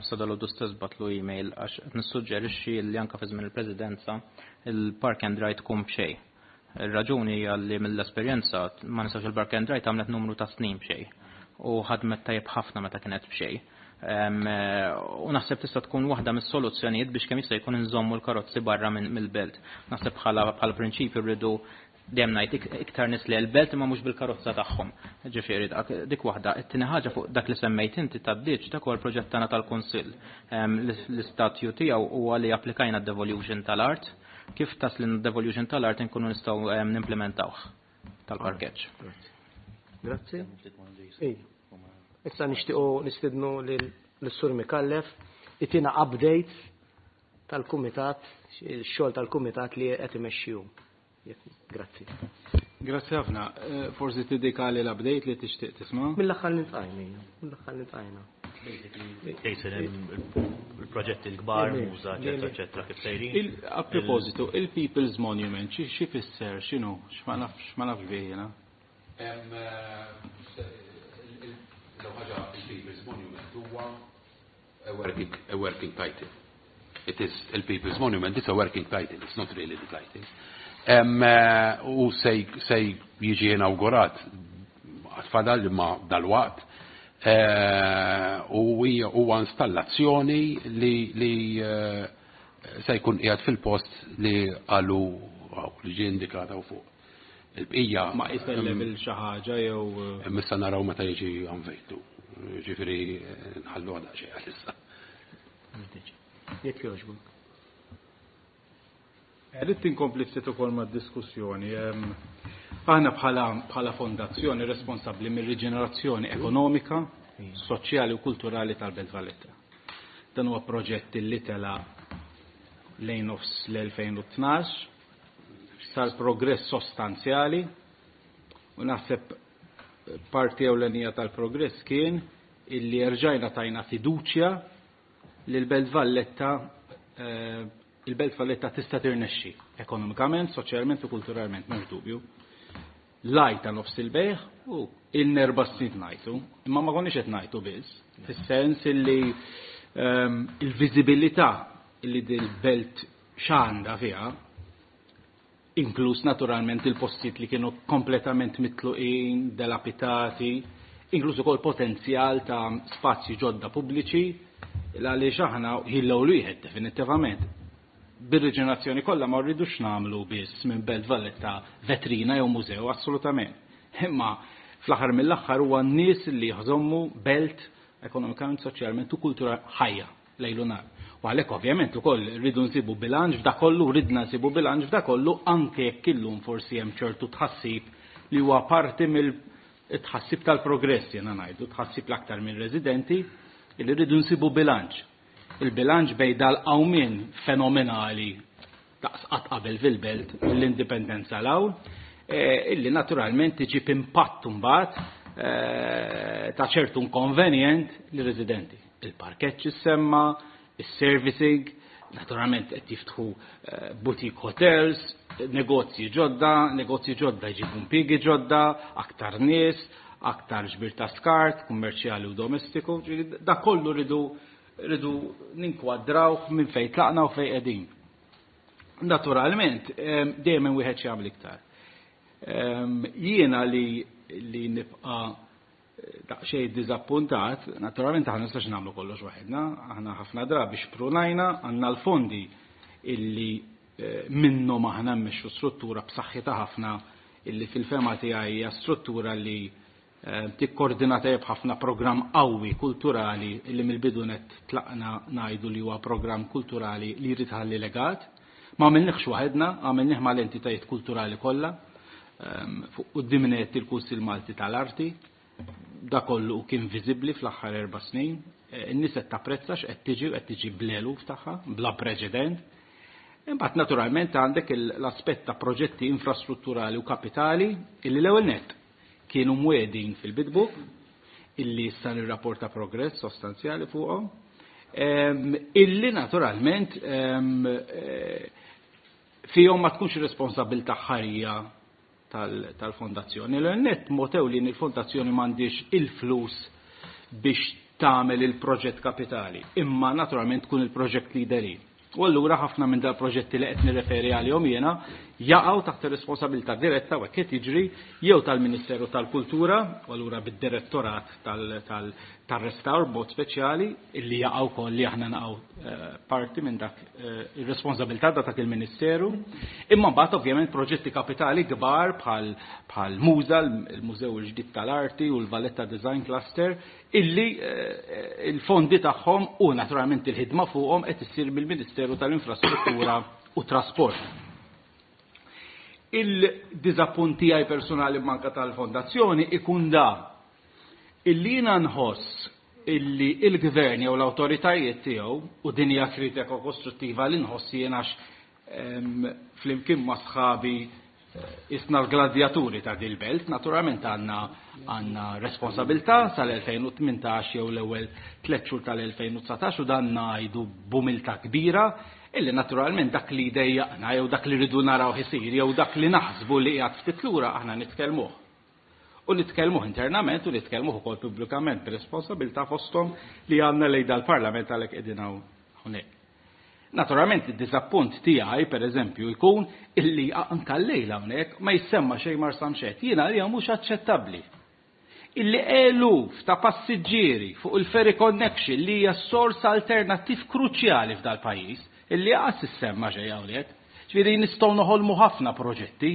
Sa dalgħodu stess batlu email għax qed nissuġġerixxi li anka fi żmien il-Presidenza il-Park and Ride tkun b'xejn. Ir-raġuni hija li mill-esperjenza ma ninsewx il-Park and Ride għamlet numru ta' snin b'xejn u ħadmet tajjeb ħafna meta kienet b'xejn. U naħseb tista' tkun waħda mis-soluzzjonijiet biex kemm jista' jkun inżommu l-karozzi barra mill-belt. Naħseb bħala bħala prinċipju rridu dejjem ngħid iktar nies li l-belt imma mhux bil-karozza tagħhom. Ġifieri dik waħda. It-tieni ħaġa fuq dak li semmejt inti tad-ditx dak huwa l-proġett tagħna tal-Kunsill. L-istatju tiegħu huwa li applikajna d-devolution tal-art. Kif tasli devolution tal-art inkunu nistgħu nimplementawh tal-parkeġġ. Grazzi. Issa nixtiequ nistidnu lis-Sur Mikallef itina update. tal-kumitat, il-xogħol tal-kumitat li qed imexxi hu. Grazzi. Grazzi ħafna. Forsi tiddikali l-update li tixtieq tisma'? Mill-aħħar li ntqajna, mill-aħħar li ntqajna. Basically, il-proġetti l-kbar, muża, eċetera, eċetera, kif sejrin. A propositu, il-People's Monument, xi fisser, x'inhu, x'ma nafx bih jiena? L-ħaġa il-People's Monument huwa a working title. It is il-People's Monument, it's a working title, it's not really the title. U se jiġi inawgurat fadal ma dal-waqt u huwa installazzjoni li se jkun qiegħed fil-post li qalu li ġie indikata u fuq. Il-bqija. Ma qis level xi ħaġa jew. Issa naraw meta jiġi unveiled. Ġifieri nħallu għadha xejn għalissa. Jekk jogħġbok. Rrid inkompli ftit ukoll mad-diskussjoni. Aħna bħala fondazzjoni responsabbli mir-riġenerazzjoni ekonomika, soċjali u kulturali tal-Belt Valletta. Dan huwa proġett li tela lejn nofs l-2012, sar progress sostanzjali u naħseb parti ewlenija tal-progress kien illi rġajna tajna fiduċja li l-Belt Valletta il-Belt Valletta tista' tirnexxi ekonomikament, soċjalment u kulturalment, m'hemmx dubju. Lajta nofs il-bejħ u il-nerba snin ngħidu, imma ma konniex qed ngħidu biss, fis-sens illi il-viżibilità illi dil-belt x'għandha fiha, inkluż naturalment il-postijiet li kienu kompletament mitluqin, delapitati, inkluż ukoll potenzjal ta' spazji ġodda pubbliċi, għaliex aħna ħillew wieħed definittivament. Bir-riġenerazzjoni kollha ma rridux nagħmlu biss minn Belt Valletta vetrina jew mużew, assolutament. Imma fl-aħħar mill-aħħar huwa n-nies li jħżommu belt ekonomikament, soċjalment u kultura ħajja lejlu nar. U għalhekk ovvjament ukoll rridu nsibu bilanċ f'da kollu, ridna nsibu bilanċ f'da kollu anke jekk illum forsi hemm ċertu tħassib li huwa parti mill-tħassib tal-progress jiena ngħidu, tħassib l-aktar minn residenti li rridu nsibu bilanċ. Il-bilanċ bejn dal-qawmien fenomenali daqs qatt qabel fil-belt mill-indipendenza l-hawn, illi naturalment iġib impatt imbagħad ta' ċertu inkonvenjent lir-residenti. Il-parkeġġ issemma, is-servicing, naturalment qed jiftħu boutique hotels, negozji ġodda, negozji ġodda jġibu impjiegi ġodda, aktar nies, aktar ġbir ta' skart, kummerċjali u domestiku, ġifieri da kollu rridu ninkwadrawh minn fejn tlaqna u fejn qegħdin. Naturalment, dejjem hemm wieħed xi iktar. Jiena li nibqa' daqsxejn diżappuntat, naturalment aħna nistax nagħmlu kollox waħedna, aħna ħafna drabi xprunajna, għandna l-fondi illi minnhom aħna mmexxu struttura b'saħħitha ħafna illi fil-fema tiegħi hija struttura li tikkoordina tajjeb ħafna programm qawwi kulturali illi mill-bidu net tlaqna ngħidu li huwa programm kulturali li jrid ħalli legat. Ma għamilniex waħedna, għamilnieh mal-entitajiet kulturali kollha, fuq quddiem net il-Kunsill Malti tal-Arti, da kollu kien viżibbli fl-aħħar 4 snin. In-nies qed tapprezza x'qed tiġi u qed tiġi bl-eluf tagħha, bla preċedent. Imbagħad naturalment għandek l-aspett ta' proġetti infrastrutturali u kapitali illi l-ewwel nett kienu mwedin fil-bidbook, illi issa nirrapporta progress sostanzjali fuqhom, illi naturalment fihom ma tkunx responsabilità ħarija tal-fondazzjoni. L-ewwel nett mod ewlieni il-fondazzjoni m'għandix il-flus biex tagħmel il-proġett kapitali, imma naturalment tkun il-proġett leader. U allura ħafna minn dal-proġetti li qed nirreferi għalihom jiena jaqgħu taħt ir-responsabilità diretta u hekk qed jiġri jew tal-Ministeru tal-Kultura, u allura bid-direttorat tar-restawr b'mod speċjali, illi jaqgħu wkoll li aħna naqgħu parti minn dak ir-responsabilità ta' dak il-Ministeru. Imma mbagħad ovvjament proġetti kapitali kbar bħal Muża, il-Mużew il-Ġdid tal-Arti u l-Valletta Design Cluster, illi il-fondi tagħhom u naturalment il-ħidma fuqhom qed issir mill-Ministeru tal-Infrastruttura u Trasport. Il-diżappunt tiegħi personali manka tal-fondazzjoni ikun da illi jiena nħoss illi il-gvern jew l-awtoritajiet tiegħu, u din hija kritika kostruttiva li nħoss jien għax flimkien ma' sħabi isna l-gladjaturi ta' dil-belt, naturalment għandna responsabilità sal-2018 jew l-ewwel 3 xhur tal-2019, u dan ngħidu b'umiltà kbira illi naturalment dak li jdejjaqna jew dak li rridu naraw isir jew dak li naħsbu li qiegħed ftit lura aħna nitkellmuh. U nitkellmuh internament u nitkellmuh ukoll pubblikament b'responsabilità fosthom li għandna lejn dal-Parlament għalhekk qegħdin hawnhekk. Naturalment id-diżappunt tiegħi pereżempju jkun illi anke llejla hawnhekk ma jissemma xejn Marsamxett. Jiena għalija mhux aċċettabbli. Illi eluf ta' passiġġieri fuq il-ferry connection li hija sors alternattiv kruċjali f'dal-pajjiż, illi qas issemma xejn hawnhekk. Ġifieri nistgħu noħolmu ħafna proġetti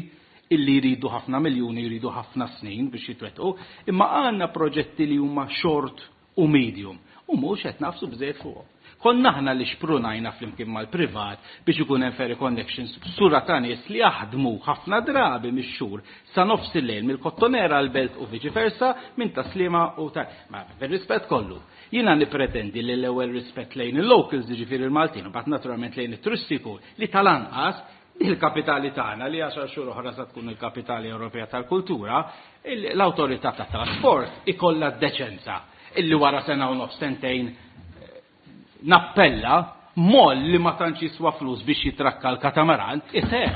illi jridu ħafna miljuni, jridu ħafna snin biex jitwettqu, imma għandna proġetti li huma short u medium u mhux qed nafsu bżejjed fuqhom. Konna aħna li xprunajna flimkien mal-privat biex ikun hemm ferry connections b'sura ta' nies li jaħdmu ħafna drabi mix-xhur sa nofs il-lejl mill-Kottonera għal Belt u viċi versa minn Taslima u ta' ma fir-rispett kollu. Jiena nippretendi li l-ewwel rispett lejn il-locals, jiġifieri il-Maltin, u mbagħad naturalment lejn it-turisti jkun li tal-anqas il-kapitali tagħna li 10 xhur oħra sa tkun il-kapitali Ewropea tal-Kultura, l-awtorità tat-trasport ikollha d-deċenza illi wara sena u nofs sentejn nappella moll li ma tantx jiswa flus biex jitrakka l-katamaran iseħħ.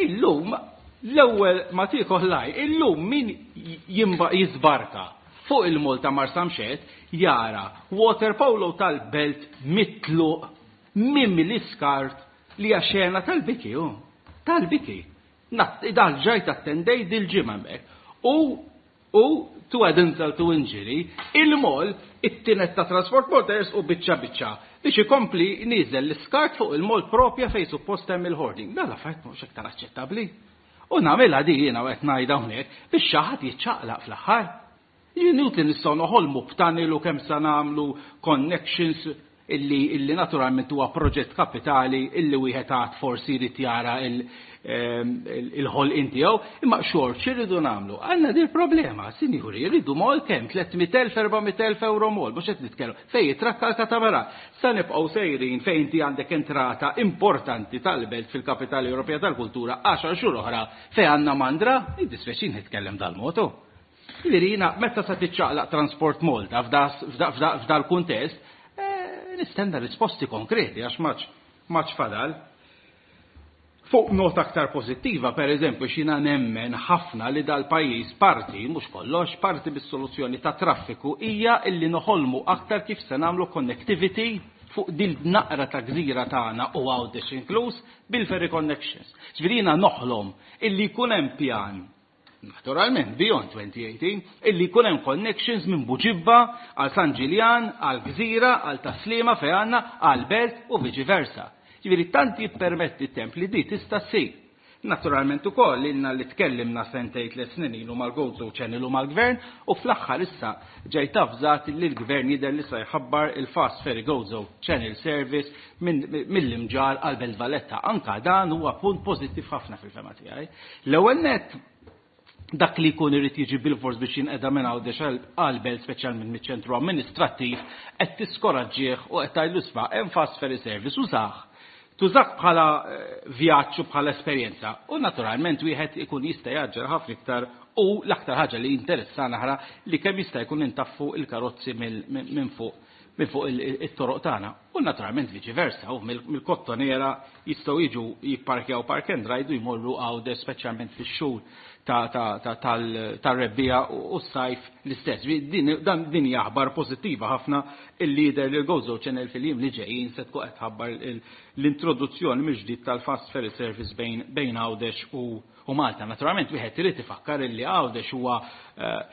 Illum l-ewwel ma tiekol laj, illum min jisbarka fuq il-mol ta' Marsamxett jara water polo tal-belt mitluq mimli skart li hija xena tal-biki, hu. Tal-biki. Dal ġajt attendej dil-ġimgħa hemmhekk. U to add insult to injury, il-mol it-tinet ta' Transport Motors u biċċa biċċa biex ikompli nieżel l-iskart fuq il-mol propja fejn suppost hemm il-hoarding. Dan l-affarijiet mhux iktar aċċettabbli. U nagħmilha di jiena u qed ngħidha hawnhekk biex xi ħadd jiċċaqlaq fl-aħħar. Inutli nistgħu noħolmu b'tunnel u kemm sa nagħmlu connections illi naturalment huwa proġett kapitali illi wieħed għad forsi jrid jara il-ħolqien tiegħu, imma xort x'irridu nagħmlu? Għandna din problema, sinjuri, jridu mol kemm 300,000, 400,000 euro mol, mhux qed nitkellmu fejn jitrakka l-katamaran. Sa nibqgħu sejrin fejn inti għandek entrata importanti tal-belt fil-Kapitali Ewropea tal-Kultura 10 xhur oħra fejn għandna mandra, jiddispjaċini nitkellem dal-motu. Ġifieri jiena meta sa tiċċaqlaq Transport Malta f'dal kuntest, nistenna risposti konkreti għax maċ fadal. Fuq nota aktar pozittiva, per eżempju, xina nemmen ħafna li dal-pajjiż parti, mhux kollox, parti bis-soluzzjoni ta' traffiku hija illi noħolmu aktar kif se nagħmlu connectivity fuq dil naqra ta' gżira tagħna u Għawdex inkluż bil-ferry connections. Ġifieri jiena noħlom illi jkun hemm pjan naturalment beyond 2018, illi jkun hemm connections minn Buġibba għal San Ġiljan, għal Gżira, għal Taslima fejn għandna, għal Belt u viċi versa. Ġifieri tant jippermetti t-temp li di tista' ssir. Naturalment ukoll ilna li tkellimna sentejn 3 snin ilu mal-Gozo Channel u mal-Gvern u fl-aħħar issa ġejt avżat li l-Gvern jidher li se jħabbar il-Fast Ferry Gozo Channel Service mill-Imġarr għal Belt Valletta. Anka dan huwa punt pożittiv ħafna fil-fema tiegħi. L-ewwel net dak li jkun irid jiġi bil-fors biex jinqeda minn Għawdex għal-belt speċjalment miċ-ċentru amministrattiv qed tiskoraġġih u qed tgħidlu isma' hemm fast ferry service użah. Tużak bħala vjaġġ u bħala esperjenza. U naturalment wieħed ikun jista' jaġġel ħafna iktar u l-aktar ħaġa li interessana aħra li kemm jista' jkun intaffu il-karozzi minn fuq it-toroq tagħna. U naturalment viċi versa, u mill-Kottonera jistgħu jiġu jipparkjaw park and ride u jmorru Għawdex speċjalment fix-xhur tar-rebbiegħa u s-sajf l-istess. Din hija aħbar pożittiva ħafna il-lider li l-Gozo Channel fil-jiem li ġejjin se tkun qed tħabbar l-introduzzjoni mill-ġdid tal-fast ferry service bejn Għawdex u Malta. Naturalment wieħed irid ifakkar illi Għawdex huwa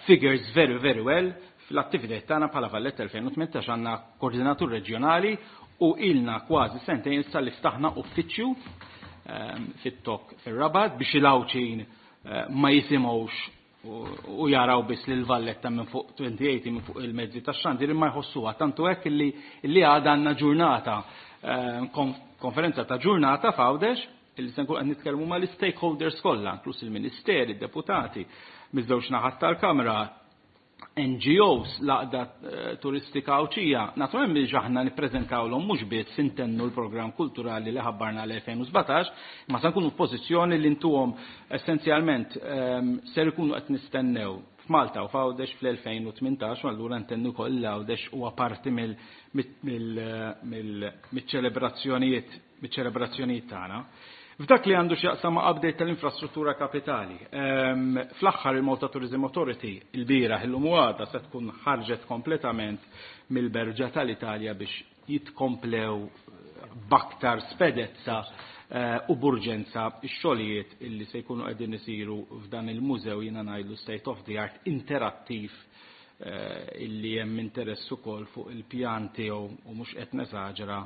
figures very very well fl-attivitajiet tagħna bħala Valletta 2018. Għandna koordinatur reġjonali u ilna kważi sentejn issa li ftaħna uffiċċju fit-Tokk fir-Rabat biex il-Għawdxin ma jisimgħux u jaraw biss lil Valletta minn fuq 2080 minn fuq il-mezzi tax-xandir imma jħossuha, tantu hekk illi għadha għandna ġurnata konferenza ta' ġurnata f'Għawdex illi se nkun qed nitkellmu mal-stakeholders kollha, inkluż il-ministeri, id-deputati, miż-żewġ naħat tal-Kamra. NGOs, l-Għaqda Turistika Għawdxija, naturalment biex aħna nippreżentawlhom mhux biss intennu l-programm kulturali li ħabbarna l-2017, imma se nkunu f'pożizzjoni li ntuhom essenzjalment ser ikunu qed nistennew f'Malta u f'Għawdex fl-2018 u allura ntennu wkoll li Għawdex huwa parti mill-ċelebrazzjonijiet miċ-ċelebrazzjonijiet tagħna. F'dak li għandu x'jaqsam ma' update tal-infrastruttura kapitali, fl-aħħar il-Malta Tourism Authority ilbieraħ illum u għada se tkun ħarġet kompletament mill-Berġa tal-Italja biex jitkomplew b'aktar spedezza u b'urġenza x-xogħlijiet illi se jkunu qegħdin isiru f'dan il-mużew jiena ngħidlu state of the art interattiv illi hemm interess ukoll fuq il-pjan tiegħu u mhux qed nesaġera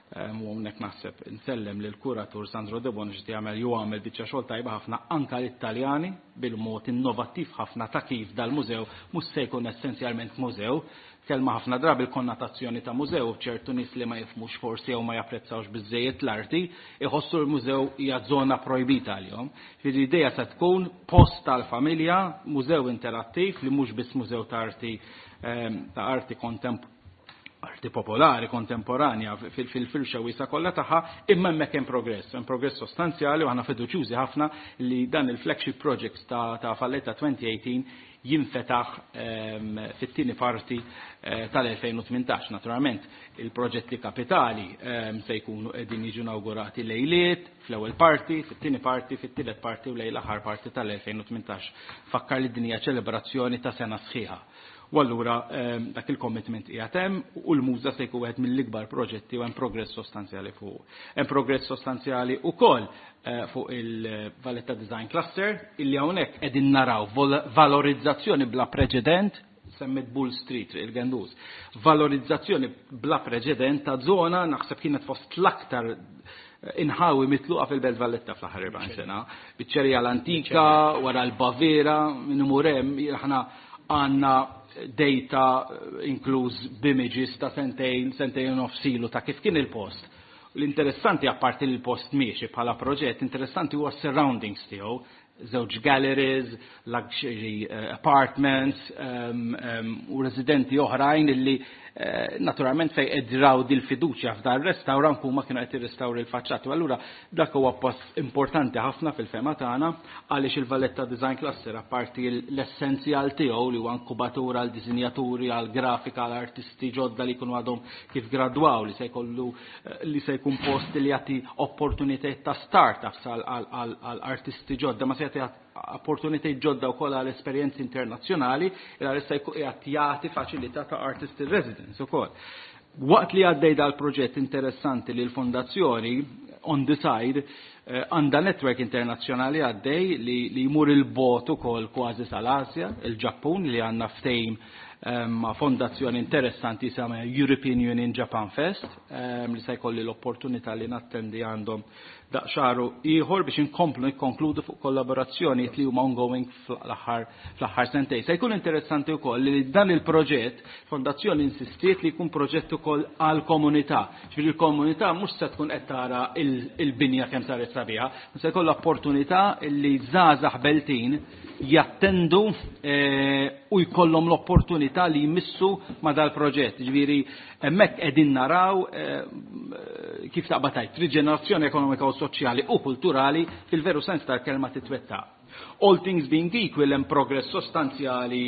u hawnhekk naħseb insellem lil kuratur Sandro De Bono x'qed jagħmel jew għamel biċċa xogħol tajba ħafna anke lit-Taljani bil-mod innovattiv ħafna ta' kif dal-mużew mhux se jkun essenzjalment mużew. Kelma ħafna drabi l-konnotazzjoni ta' mużew ċertu nies li ma jifhmux forsi jew ma japprezzawx biżżejjed l-arti iħossu l-mużew hija żona projbita għalihom. Ġifieri l-idea se tkun post tal-familja, mużew interattiv li mhux biss mużew ta' arti ta' arti kontemp arti popolari, kontemporanja, fil-firxa wiesa kollha tagħha, imma hemmhekk hemm progress, hemm progress sostanzjali u aħna fiduċjużi ħafna li dan il-flagship project ta' Valletta 2018 jinfetaħ fit-tieni parti tal-2018. Naturalment, il-proġetti kapitali se jkunu qegħdin jiġu inaugurati lejliet, fl-ewwel parti, fit-tieni parti, fit-tielet parti u lejn l-aħħar parti tal-2018. Fakkar li din hija ċelebrazzjoni ta' sena sħiħa. U allura dak il-commitment qiegħed hemm u l-muża se jkun wieħed mill-ikbar proġetti u hemm progress sostanzjali fuq. Hemm progress sostanzjali wkoll fuq il-Valletta Design Cluster illi hawnhekk qegħdin naraw valorizzazzjoni bla preċedent, semmit Bull Street, il-Gendus, valorizzazzjoni bla preċedent ta' zona naħseb kienet fost l-aktar inħawi mitluqa fil-Belt Valletta fl-aħħar 40 sena. Biċċerija l-antika, wara l-Baviera, minn imur hemm, aħna għandna data inkluż b'images ta' sentejn, sentejn u nofs ilu ta' kif kien il-post. L-interessanti apparti li l-post miexi bħala proġett, interessanti huwa surroundings tiegħu, żewġ galleries, luxury apartments u residenti oħrajn illi naturalment fej edraw dil-fiduċja f'dar restaurant huma kienu qed jirrestawri l-faċċati. U allura dak huwa pass importanti ħafna fil-fema tagħna għaliex il-Valletta Design Cluster apparti l-essenzjal tiegħu li huwa inkubatura għal disinjaturi, għal grafika, għal artisti ġodda li jkunu għadhom kif gradwaw li se jkollu li se jkun post li jagħti opportunitajiet ta' startups għal artisti ġodda, ma se jagħti opportunitajiet ġodda wkoll għal esperjenzi internazzjonali, il għal issa jkun qiegħed jagħti faċilità ta' artist in residence ukoll. Waqt li għaddej dal-proġett interessanti li l-fondazzjoni on the side għandha network internazzjonali għaddej li jmur il-bot ukoll kważi sal-Asja, il-Ġappun li għandna ftehim ma' fondazzjoni interessanti jisimha European Union Japan Fest, li se jkolli l-opportunità li nattendi għandhom daqxaru ieħor biex inkomplu nikkonkludu fuq kollaborazzjonijiet li huma ongoing fl-aħħar sentej. Se jkun interessanti wkoll li dan il-proġett fondazzjoni insistiet li jkun proġett ukoll għall-komunità. Ġifieri l-komunità mhux se tkun qed tara il-binja kemm saret sabiħa, se jkollha opportunità li żgħażagħ beltin jattendu u jkollhom l-opportunità li jmissu ma' dal-proġett. Ġifieri hemmhekk qegħdin naraw kif taqbad tgħid riġenerazzjoni ekonomika u soċjali u kulturali fil-veru sens tal-kelma titwettaq. All things being equal, hemm progress sostanzjali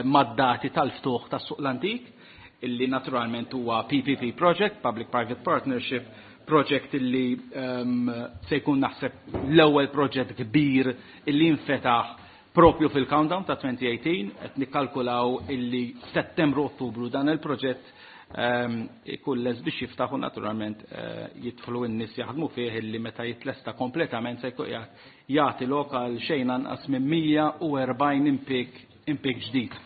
mad-dati tal-ftuħ tas-suq l-antik, illi naturalment huwa PPP project, Public Private Partnership project, illi se jkun naħseb l-ewwel proġett kbir illi infetaħ propju fil-countdown ta' 2018, qed nikkalkulaw illi Settembru Ottubru dan il-proġett ikun les biex jiftaħ u naturalment jidħlu n-nies jaħdmu fih, illi meta jitlesta kompletament se jkun jagħti lokal xejn anqas minn 140 impjieg ġdid.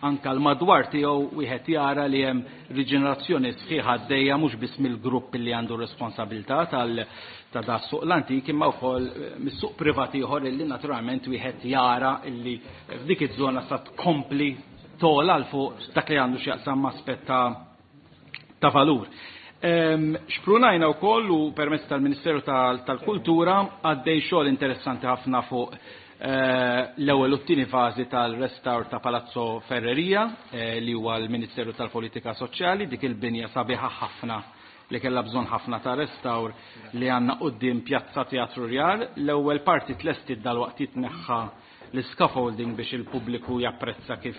Anka l-madwar tiegħu wieħed jara li hemm riġenerazzjoni sħiħa għaddejja mhux biss mill-grupp li għandu responsabilità tal ta' da suq l-antik imma wkoll mis-suq privat ieħor illi naturalment wieħed jara illi f'dik iż-żona sa tkompli tola l fuq dak li għandu x'jaqsam aspett ta' valur. Xprunajna wkoll u permezz tal-Ministeru tal-Kultura għaddej xogħol interessanti ħafna fuq L-ewwel u t-tieni fażi tal-restawr ta' Palazzo Ferreria, li huwa l-Ministeru tal-Politika Soċjali, dik il-binja sabiħa ħafna li kellha bżonn ħafna ta' restawr li għandna quddiem Pjazza Teatru Rjal. L-ewwel parti tlestiet, dalwaqt jitneħħa l-scaffolding biex il-pubbliku japprezza kif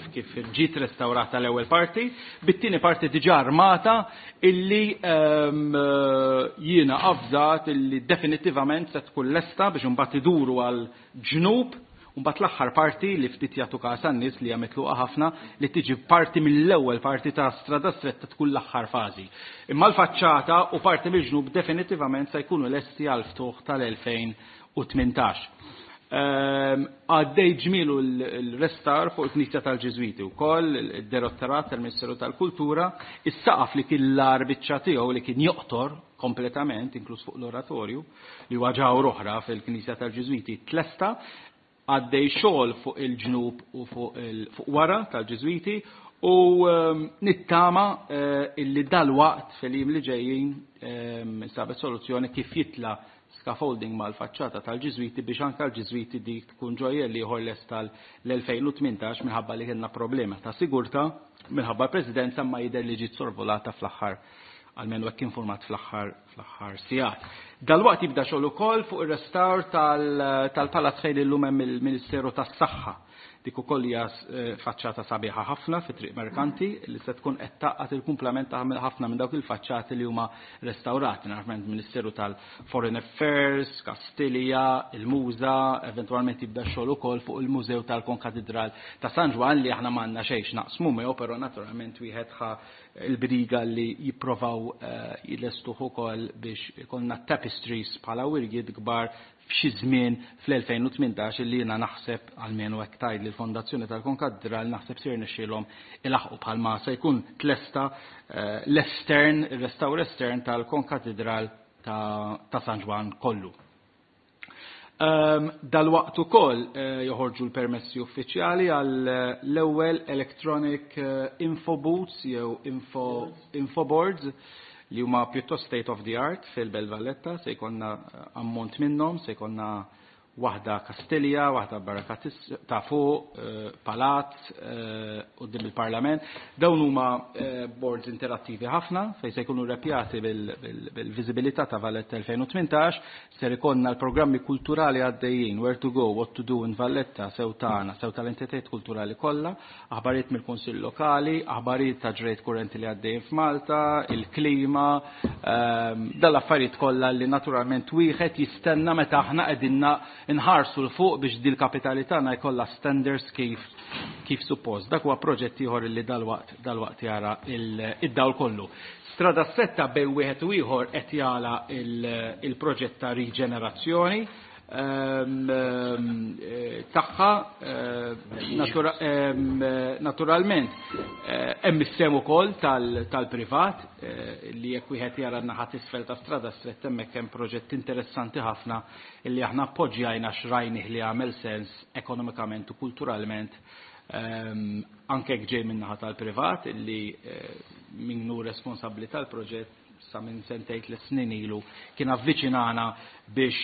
ġiet restawrata l-ewwel parti, bit-tieni parti diġà armata illi jiena avżat illi definittivament se tkun lesta biex imbagħad iduru għal ġnub u mbagħad l-aħħar parti li ftit jagħtu każ għan-nies li hija mitluqa ħafna li tiġi parti mill-ewwel parti ta' Strada Stretta tkun l-aħħar fażi. Imma l-faċċata u parti mill-ġnub definitivament se jkunu lesti għal ftuħ tal-2018. Għaddej ġmielu l-restawr fuq il-Knisja tal-Ġiżwiti wkoll, id-Direttorat tal-Ministeru tal-Kultura, is-saqaf li kien l-agħar biċċa tiegħu li kien joqtor kompletament, inkluż fuq l-oratorju, li huwa ġawr oħra fil-Knisja tal-Ġiżwiti, tlesta, għaddej xogħol fuq il-ġnub u fuq wara tal-Ġiżwiti u nittama illi dalwaqt fil-jiem li ġejjin sabet soluzzjoni kif jitla scaffolding mal-faċċata tal-Ġiżwiti biex anke l-Ġiżwiti dik tkun ġojjelli ieħor lest tal-2018 minħabba li kellna problema ta' sigurtà minħabba l-Presidenza, ma jidher li ġiet sorvolata fl-aħħar, almenu hekk informat fl-aħħar sigħat. Dalwaqt jibda xogħol ukoll fuq ir-restawr tal-Palazz fejn illum hemm il-Ministeru tas-Saħħa. Dik ukoll hija faċċata sabiħa ħafna fi Triq Merkanti li se tkun qed tgħaqqad il-kumplament ta' ħafna minn dawk il-faċċati li huma restawrati. Naturalment Ministeru tal-Foreign Affairs, Kastilja, il-Muża, eventwalment jibda xogħol ukoll fuq il-Mużew tal-Konkatedral ta' San Ġwann li aħna m'għandna xejn x'naqsmu miegħu, però naturalment wieħed ħa il-briga li jipprovaw jilestuh ukoll biex ikollna tapestries bħala wirjiet kbar f'xi żmien fl-2018 li jiena naħseb, almenu hekk tgħid li l-Fondazzjoni tal-Konkatedral, naħseb sir nixxielhom ilaħqu bħalma se jkun tlesta l-estern, ir-restawr estern tal-Konkatedral ta' San Ġwann kollu. Dal-waqt ukoll joħorġu l-permessi uffiċjali għal l-ewwel electronic info booths jew info boards li huma pjuttost state of the art fil-Belt Valletta, se jkollna ammont minnhom, se jkollna waħda Kastilja, waħda Barakatis ta' fuq, Palazz, quddiem il-Parlament. Dawn huma boards interattivi ħafna fejn se jkunu repjati bil-viżibilità ta' Valletta 2018, ser ikollna l-programmi kulturali għaddejjin, where to go, what to do in Valletta, sew tagħna, sew tal-entitajiet kulturali kollha, aħbarijiet mill-Kunsill Lokali, aħbarijiet ta' ġrejt kurrenti li għaddejjin f'Malta, il-klima, dal-affarijiet kollha li naturalment wieħed jistenna meta aħna qegħdin nħarsu 'l fuq biex dil kapitali tagħna jkollha standards kif suppost. Dak huwa proġett ieħor li dalwaqt jara id-dawl kollu. Strada Stretta bejn wieħed u ieħor qed jara il-proġett ta' riġenerazzjoni tagħha, naturalment hemm is-sehem ukoll tal-privat li jekk wieħed jara n-naħa t'isfel ta' Strada Stretta hemmhekk hemm proġett interessanti ħafna li aħna appoġġjajna x'rajnih li għamel sens ekonomikament u kulturalment, anke jekk ġej min-naħa tal-privat illi min hu responsabbli tal-proġett sa minn sentejn 3 snin ilu kien avviċinana biex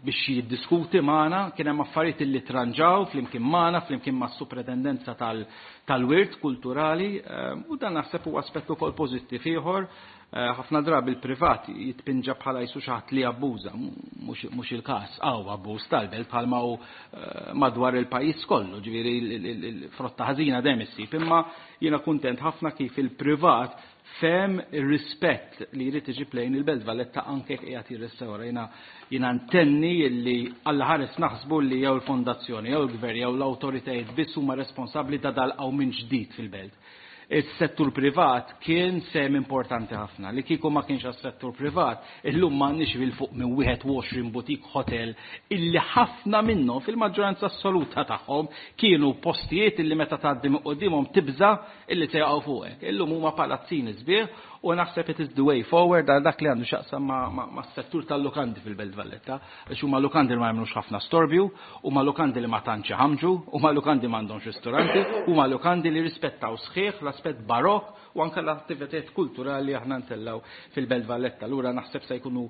jiddiskuti magħna, kien hemm affarijiet li tranġaw flimkien magħna, flimkien mas-Supretendenza tal-Wirt Kulturali, u dan naħseb huwa aspett ukoll pożittiv ieħor. Ħafna drabi il-privat jitpinġa bħala jisu xi ħadd li abbuża, mhux il-każ, hawn abbuż tal-belt bħalma hu madwar il-pajjiż kollu, ġifieri il-frotta ħażina dejjem issib, imma jiena kuntent ħafna kif il-privat fehem ir-rispett li jrid iġib lejn il-Belt Valletta anke jekk qiegħed jirrestawra. Jiena ntenni li Alla ħares naħsbu li jew il-fondazzjoni, jew il-gvern, jew l-awtoritajiet biss huma responsabbli ta' dal minn ġdid fil-belt. Is-settur privat kien sem importanti ħafna. Li kieku ma kienx għas-settur privat, illum m'għandniex 'il fuq minn 21 boutique hotel illi ħafna minnhom fil-maġġoranza assoluta tagħhom kienu postijiet illi meta tgħaddi minn quddiemhom tibża illi se jaqgħu fuqek. Illum huma palazzini sbieħ u naħseb it is the way forward għal dak li għandu x'jaqsam ma' settur tal-lukandi fil-Belt Valletta. Għax huma lukandi li ma jagħmlux ħafna storbju, huma lukandi li ma tantx iħamġu, huma lukandi m'għandhomx ristoranti, huma lukandi li rispettaw sħiħ l l-aspett barokk u anke l-attivitajiet kulturali li aħna ntellgħu fil-Belt Valletta. Allura naħseb se jkunu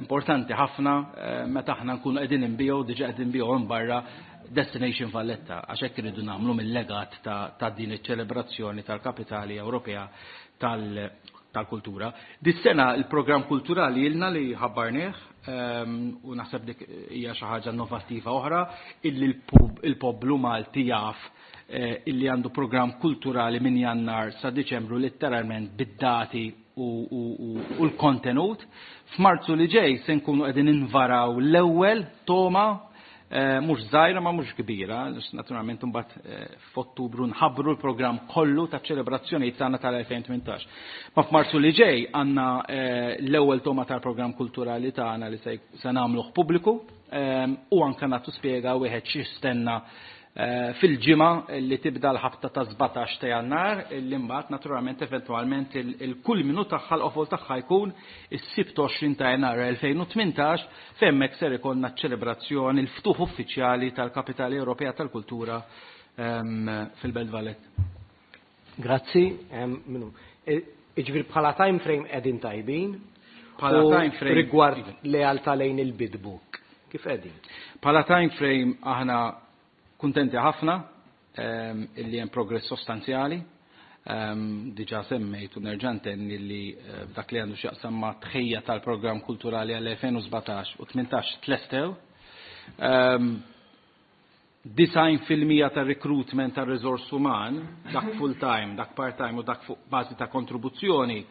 importanti ħafna meta aħna nkunu qegħdin inbigħu, diġà qegħdin inbigħu hemm barra Destination Valletta, għax hekk irridu nagħmlu mill-legat ta' din iċ-ċelebrazzjoni tal-Kapitali Ewropea tal-Kultura. Dis-sena il-programm kulturali ilna li ħabbarnieh u naħseb dik hija xi ħaġa innovattiva oħra illi l-poplu Malti jaf illi għandu programm kulturali minn Jannar sa Diċembru letteralment bid-dati u l-kontenut. F'Marzu li ġej se nkunu qegħdin invaraw l-ewwel toma mhux żgħira ma mhux kbira, naturalment imbagħad f'Ottubru nħabbru l-programm kollu ta' ċelebrazzjonijiet tagħna tal-2018. Ma f'Marzu li ġej għandna l-ewwel toma tal-programm kulturali tagħna li se nagħmluh pubbliku u anke nagħtu spjega wieħed x'jistenna fil-ġimgħa li tibda l-ħabta ta' 17 ta' Jannar, li mbagħad naturalment eventwalment il-kulminu tagħha, l-qofol tagħha jkun is-Sibt 20 ta' Jannar 2018, f'hemmhekk ser ikollna ċ-ċelebrazzjoni, l-ftuħ uffiċjali tal-Kapitali Ewropea tal Kultura fil-Belt Valletta. Grazzi, minu. Iġifieri bħala time frame qegħdin tajbin. Bħala time frame rigward lealtà lejn il-bid book. Kif qegħdin? Bħala time frame aħna kuntenti ħafna illi hemm progress sostanzjali. Diġà semmejt u nerġa' ntenni li dak li għandu x'jaqsam ma' tħejja tal-programm kulturali għal 2017 u 18 tlestew. 90% tar-recruitment tar-riżors uman, dak full time, dak part time u dak fuq bażi ta' kontribuzzjoni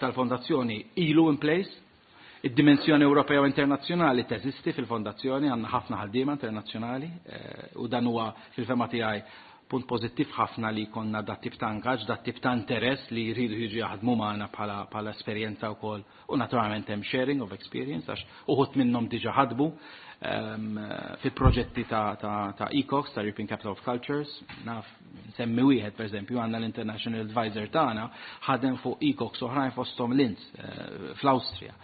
tal-fondazzjoni ilu in place. Id-dimensjoni Ewropea u internazzjonali teżisti fil-fondazzjoni, għandna ħafna ħaddiema internazzjonali u dan huwa fil-fehma tiegħi punt pożittiv ħafna li konna dat tip ta' ingaġġ, dat tip ta' interess li jridu jiġu jaħdmu magħna bħala esperjenza wkoll u naturalment hemm sharing of experience għax uħud minnhom diġà ħadbu fi proġetti ta' ECOX, ta' European Capital of Cultures, naf nsemmi wieħed pereżempju għandna l-International Advisor tagħna ħadem fuq ECOX oħrajn fosthom Linz fl-Awstrija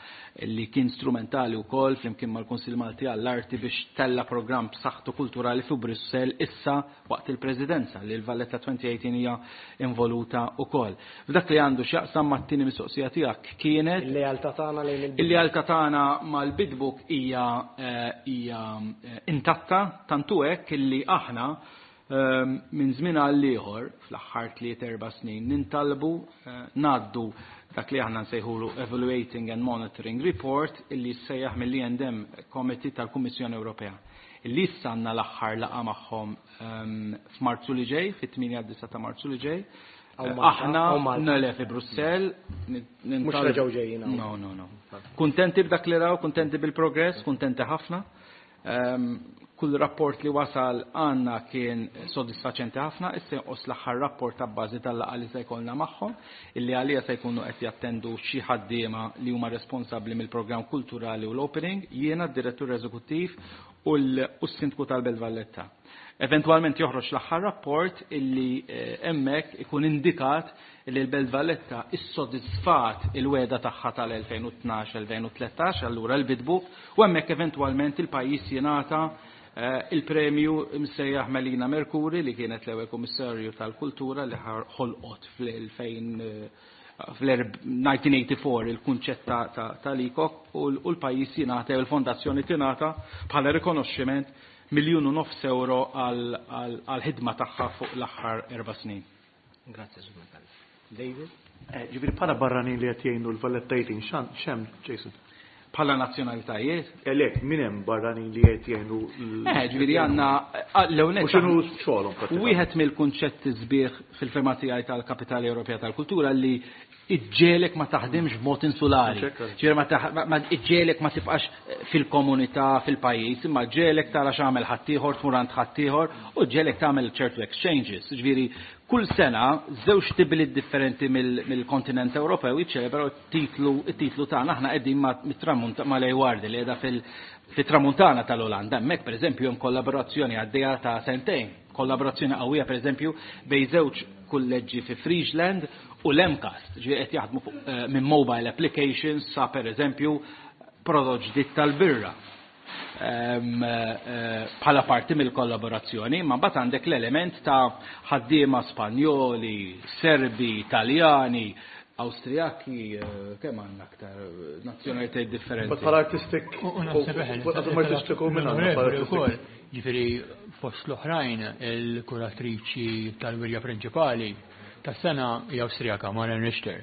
li kien strumentali wkoll flimkien mal-Kunsill Malti għall-Arti biex tella programm b'saħħtu kulturali fi Brussell issa waqt il-Presidenza li l-Valletta 2018 hija involuta wkoll. F'dak li għandu x'jaqsam mat-tieni mistoqsija tiegħek kienet il-lealtà tagħna lejn il-bid book. Il-lealtà tagħna mal-bid book hija intatta tantu hekk illi aħna minn żmien għal ieħor fl-aħħar 3-4 snin nintalbu ngħaddu dak li aħna nsejħulu Evaluating and Monitoring Report illi sejjaħ mill-E&M Committee tal-Kummissjoni Ewropea. Illi issa għandna l-aħħar laqgħa magħhom f'Marzu li ġej, fit-8 ta' Marzu li ġej. Aħna nele fi Brussell. Mhux reġgħu ġejjin. No, no, no. Kuntenti b'dak li raw, kuntenti bil-progress, kuntenti ħafna. Kull rapport li wasal għandna kien sodisfaċenti ħafna, issa jonqos l-aħħar rapport ta' bażi tal-laqgħa li se jkollna magħhom, illi għalija se jkunu qed jattendu xi ħaddiema li huma responsabbli mill-programm kulturali u l-opening, jiena d-direttur eżekuttiv u s-sindku tal-Belt Valletta. Eventwalment joħroġ l-aħħar rapport illi hemmhekk ikun indikat li l-Belt Valletta issodisfat il-weda tagħha tal-2012-2013, allura l-bid book, u hemmhekk eventwalment il-pajjiż jingħata il-premju msejjaħ Melina Mercouri li kienet l-ewwel kummissarju tal-kultura li ħolqot fl-1984 il-kunċett tal-ECOC u l-pajjiż jingħata u l-fondazzjoni tingħata bħala rikonoxximent 1.5 miljun euro għal-ħidma tagħha fuq l-aħħar 4 snin. Grazie, Sur Micallef. David? Ġifieri bħala barranin li qed jgħinu l-Valletta 18, x'hemm, Jason? Bħala nazzjonalitajiet? Le, min hemm barranin li qed jgħinu Ġifieri għandna l-ewwel U x'inhu xogħolhom pratikament? Wieħed mill-kunċetti sbieħ fil-fehma tiegħi tal-Kapitali Ewropea tal Kultura li iġġelek ma taħdimx b'mod insulari. Ġifieri ma iġġelek ma tibqax fil-komunità, fil-pajjiż, imma ġġelek tara x'għamel ħaddieħor, tmur għand ħaddieħor u ġġelek tagħmel ċertu exchanges. Ġifieri kull sena żewġ tibliet differenti mill-kontinent Ewropew jiċċelebraw it-titlu tagħna. Aħna qegħdin ma' Leeuwarden li qiegħda fit-tramuntana tal-Olanda. Hemmhekk pereżempju hemm kollaborazzjoni għaddejja ta' sentejn, kollaborazzjoni qawwija pereżempju bejn żewġ kulleġġi fi Friesland u l-MCAST, ġifieri qed jaħdmu fuq minn mobile applications sa pereżempju prodott ġdid tal-birra. Bħala parti mill-kollaborazzjoni, ma mbagħad għandek l-element ta' ħaddiema Spanjoli, Serbi, Taljani, Awstrijaki, kemm għandna aktar nazzjonalitajiet differenti. Bħala artistic, artistiku minn ukoll. Ġifieri fost l-oħrajn il-kuratriċi tal-wirja prinċipali tas-sena hija Awstrijaka, Maren Richter.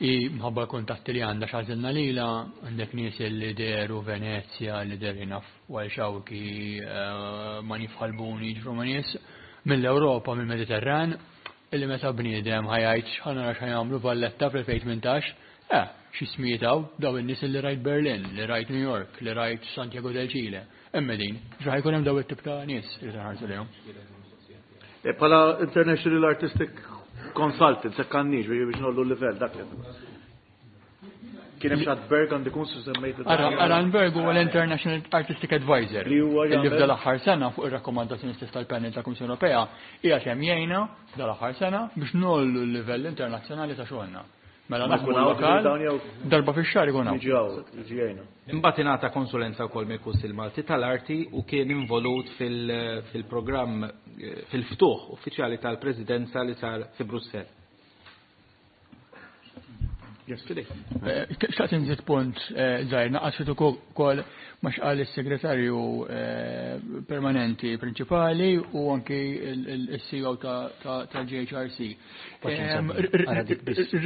I mħabba l-kuntatti li għandha x'għażilna lilha, għandek nies li dehru Venezja, li dehru naf Wael Shawky, Manif Ħalbuni, ġifieri huma nies mill-Ewropa, mill-Mediterran, illi meta bniedem ħa jgħid x'ħa nara x'ħa jagħmlu Valletta fl-2018, xi ismijiet hawn, dawn in-nies illi rajt Berlin, li rajt New York, li rajt Santiago del Chile, hemm qegħdin. Ġifieri ħa jkun hemm dawn it-tip ta' nies li se nħarsu lejhom. Bħala International Artistic Consultant, se kanniġ biex nollu l-livell dak li. Kien hemm xi Berg għandi kun semmejt. Aran Berg huwa l-International Artistic Advisor Li huwa li jagħmel- f'dal aħħar sena fuq ir-rakkomandazzjoni stess tal-panel tal-Kummissjoni Ewropea qiegħed hemm jgħinna f'dal aħħar sena biex nollu l-livell internazzjonali ta' xogħolna. Mela Ma naħdmu jkun hawn lokal, dawn jew- darba fix-xahar ikun hawn. Jiġi hawn, jiġi jgħinna. Imbagħad ingħata konsulenza wkoll mill-Kunsill Malti tal-Arti u kien involut fil-programm fil-ftuħ uffiċjali tal-Presidenza li sar fi Brussell. Yes, fidejk. Xtaqt inżid punt żgħir, naqas ftit ukoll ma x'qal is-segretarju permanenti prinċipali u anki il-CEO tal-JHRC.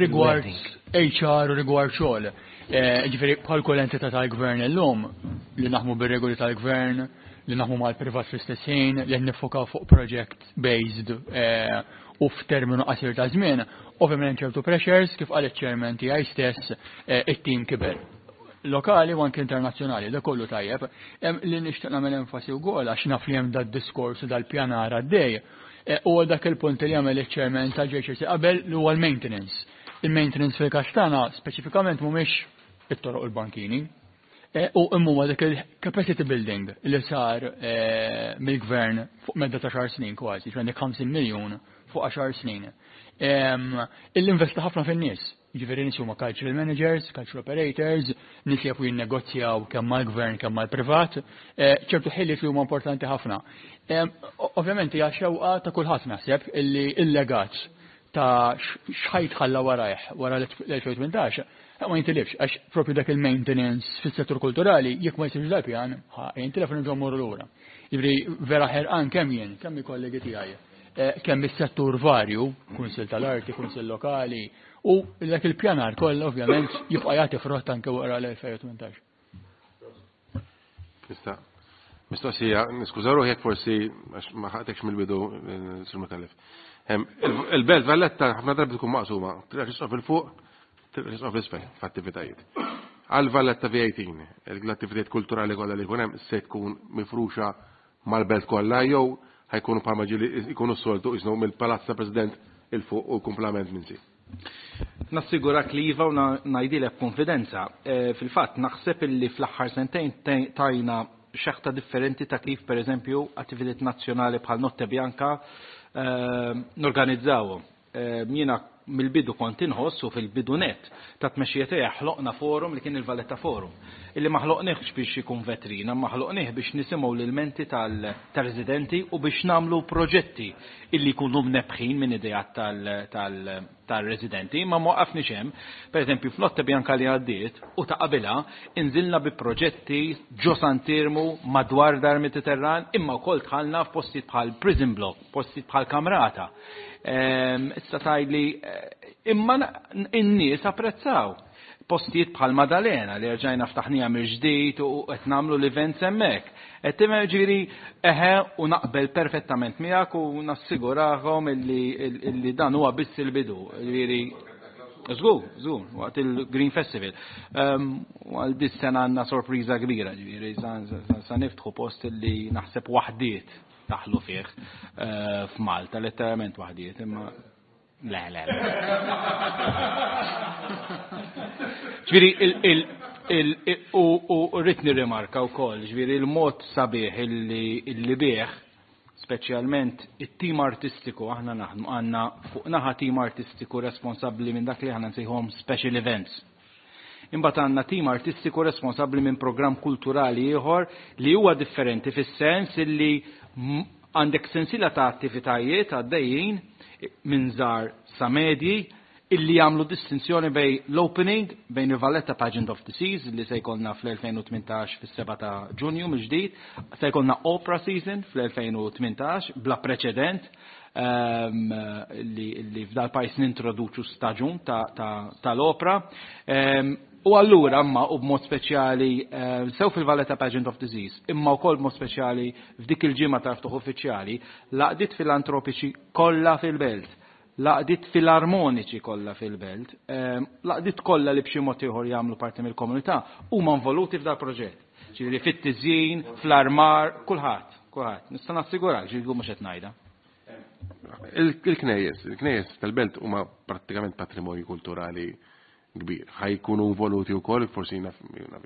Rigward HR u rigward xogħol. Ġifieri bħal kull entità tal-gvern illum li naħmu bir-regoli tal-gvern, li naħmu mal-privat fl-istess ħin, li qed nifokaw fuq project based u f'terminu qasir ta' żmien, ovvjament ċertu pressures, kif qal iċ-chairman tiegħi stess, it-tim kiber. Lokali u anke internazzjonali, da kollu tajjeb. Li nixtieq nagħmel enfasi wkoll għax naf li hemm dad-diskors u dal-pjanar għaddej, huwa dak il-punt li jagħmel iċ-chairman tal-JHRC qabel li huwa l-maintenance. Il-maintenance fil-każ tagħna speċifikament mhumiex it-toroq u l-bankini. U imma dak il-capacity building li sar mill-gvern fuq medda ta' 10 snin kważi, ġifieri għandek 50 miljun fuq 10 snin. Il-investa ħafna fin-nies, ġifieri nies huma cultural managers, cultural operators, nies li jafu jinnegozjaw kemm mal-gvern kemm mal-privat, ċertu ħiliet li huma importanti ħafna. Ovvjament hija xewqa ta' kulħadd naħseb illi il-legat ta' x'ħajt ħalla warajh wara l-2018 ma jintilifx, għax propju dak il-maintenance fis-settur kulturali jekk ma jsirx dal-pjan, jintilef nerġgħu mmorru lura. Jiġifieri vera ħerqan kemm jien, kemm il-kollegi tiegħi, kemm is-settur varju, Kunsill tal-Arti, Kunsill Lokali, u dak il-pjanar kollha ovvjament jibqa' jagħti frott anke wara l-2018. Nista' mistoqsija, niskuża ruħi jekk forsi għax ma ħaqtekx mill-bidu, Sur Micallef. Il-Belt Valletta ħafna drabi tkun maqsuma, triq il fuq, triq l-isfel f'attivitajiet. Għal Valletta V18, l-attivitajiet kulturali kollha li jkun hemm se tkun mifruxa mal-belt kollha jew ħajkunu bħalma ġieli jkunu s-soltu jisnu mill-Palazz ta' President il fuq u kumplament minn si. Nassigurak li iva u ngħidilek b'konfidenza. Fil-fatt naħseb illi fl-aħħar sentejn tajna xeħta differenti ta' kif pereżempju attivitajiet nazzjonali bħal Notte Bianca norganizzawhom. Jiena mill-bidu kont inħoss u fil-bidu net ta' tmexxija tiegħi ħloqna forum li kien il-Valletta Forum. Illi ma ħloqniex biex ikun vetrina, ma ħloqnieh biex nisimgħu l-ilmenti tal-residenti u biex nagħmlu proġetti illi jkunu mnebħin minn idejat tal-residenti, ma waqafniex hemm. Per eżempju, f'Notte Bianca li għaddiet u ta' qabilha inżilna bi proġetti ġo Sant'Iermu madwar Dar Mediterran, imma wkoll dħalna f'postijiet bħal Prison Block, postijiet bħal Kamrata. Issa tgħidli, imma in-nies apprezzaw postijiet bħal Madalena li rġajna ftaħnija mill-ġdid u qed nagħmlu l-events hemmhekk. Qed tifhem, ġifieri eħe u naqbel perfettament miegħek u nassigurahom illi dan huwa biss il-bidu. Ġifieri żgur, żgur, waqt il-Green Festival. U għal dis sena għandna sorpriża kbira, ġifieri sa niftħu post illi naħseb waħdiet taħlu fih f'Malta, letteralment waħdiet, imma le, le, le. Ġifieri, u rrid nirrimarka wkoll, ġifieri il-mod sabiħ illi bih, speċjalment it-tim artistiku, aħna naħdmu għandna fuq naħa tim artistiku responsabbli minn dak li aħna nsejħuhom special events. Imbagħad għandna tim artistiku responsabbli minn programm kulturali ieħor li huwa differenti fis-sens illi għandek sensiela ta' attivitajiet għaddejjin minn żgħar sa medji illi jagħmlu distinzjoni bejn l-opening bejn il-Valletta Pageant of the Seas li se jkollna fl-2018 fis-7 ta' Ġunju mill-ġdid, se jkollna Opera Season fl-2018 bla preċedent li f'dal pajjiż nintroduċu staġun tal-opra. U allura imma u b'mod speċjali sew fil-Valletta Pageant of the Seas, imma wkoll b'mod speċjali f'dik il-ġimgħa tal-ftuħ uffiċjali, l-għaqdiet filantropiċi kollha fil-belt, l-għaqdiet filarmoniċi kollha fil-belt, l-għaqdiet kollha li b'xi mod ieħor jagħmlu parti mill-komunità huma involuti f'dal proġett. Ġifieri fit-tiżjin, fl-armar, kulħadd, kulħadd. Nista' nassigurak, ġifieri mhux qed ngħidha. Il-knejjes tal-belt huma prattikament patrimonju kulturali kbir. Ħa jkunu involuti wkoll, forsi naf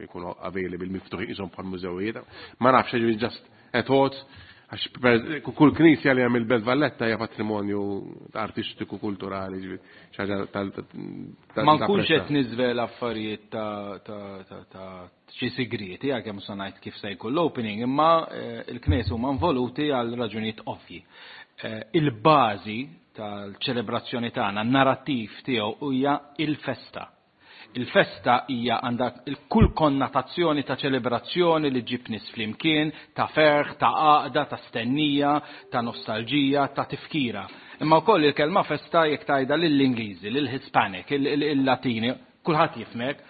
jkunu available miftuħin qishom bħal mużewijiet. Ma nafx, ġifieri just a thought, għax kull knisja li hemm il-Belt Valletta hija patrimonju artistiku kulturali, ġifieri xi ħaġa tal Ma nkunx qed niżvela affarijiet ta' xi sigrieti għalkemm se ngħid kif se jkun l-opening, imma il-knejjes huma involuti għal raġunijiet ovvji. Il-bażi tal-ċelebrazzjoni tagħna, n-narrattiv tiegħu hija il-festa. Il-festa hija għandha kull konnotazzjoni ta' ċelebrazzjoni li ġib nies flimkien, ta' ferħ, ta' għaqda, ta' stennija, ta' nostalġija, ta' tifkira. Imma wkoll il-kelma festa jekk tgħidha lill-Ingliżi, lill-Hispanic, il-Latini, kulħadd jifhmek.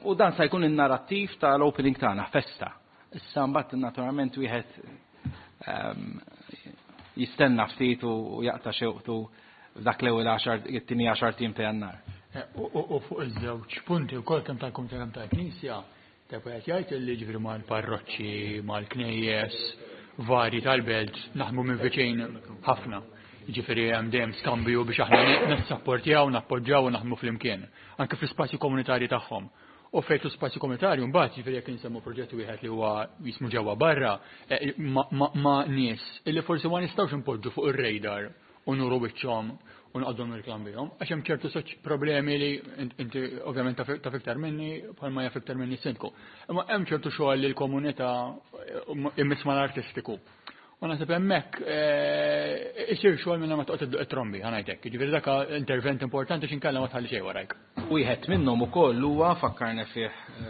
U dan se jkun in-narrattiv tal-opening tagħna, festa. Issa mbagħad naturalment wieħed jistenna ftit u jaqta' xewqtu f'dak l-ewwel għaxar, it-tieni għaxar tim ta' Jannar. U fuq iż-żewġ punti wkoll kemm tal-Kumitat kemm tal-Knisja, ta' qed jgħid li ġifieri mal-parroċċi, mal-knejjes varji tal-belt naħdmu minn viċin ħafna. Ġifieri hemm dejjem skambju biex aħna nissapportjaw, nappoġġjaw u naħdmu flimkien, anke fl-ispazji komunitarji tagħhom. U fejn spazju komunitarju mbagħad jiġifieri jekk insemmu proġett wieħed li huwa jismu ġewwa barra ma' nies illi forsi ma nistgħux impoġġu fuq ir-radar u nuru wiċċhom u nqogħdu nirklam bihom, għax hemm ċertu soċ problemi li inti ovvjament taf iktar minni bħalma jaf iktar minni s-sindku. Imma hemm ċertu xogħol li l-komunità immiss mal-artistiku. U naħseb hemmhekk isir xogħol minn ma toqgħod idduq it-trombi, ħa ngħidlek. Jiġifieri dak intervent importanti x'inkella ma tħalli xejn warajk. Wieħed minnhom ukoll huwa fakkarna fih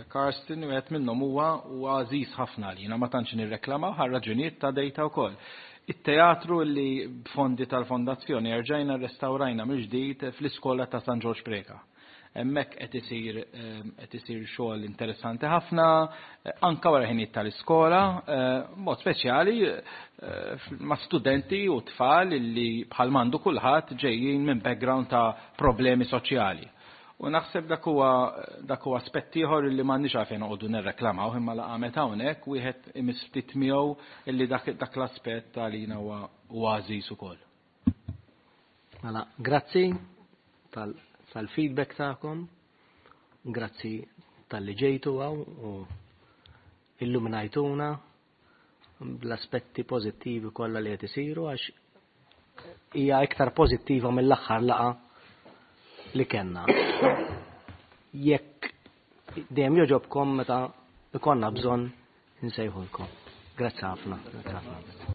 Karsten, wieħed minnhom huwa għażiż ħafna għalina, ma tantx nirreklamaw għal raġunijiet ta' dejta wkoll. It-teatru li b'fondi tal-fondazzjoni erġajna rrestawrajna mill-ġdid fl-iskola ta' San Ġorġ Preca. Hemmhekk qed isir xogħol interessanti ħafna, anka wara ħinijiet tal-iskola, mod speċjali ma' studenti u tfal li bħal m'għandu kulħadd ġejjin minn background ta' problemi soċjali. U naħseb dak huwa aspett ieħor li m'għandniex għalfejn noqogħdu nirreklamaw, imma la qamet hawnhekk wieħed imiss ftit miegħu illi dak l-aspett għalina huwa għażiż ukoll. Mela, grazzi tal-feedback tagħkom, grazzi tal-li ġejtu hawn u illuminajtuna bl-aspetti pożittivi kollha li qed isiru għax hija iktar pożittiva mill-aħħar laqgħa li kellna. Jekk dejjem joġobkom meta ikollna bżonn insejħulkom. Grazzi ħafna. Grazzi ħafna.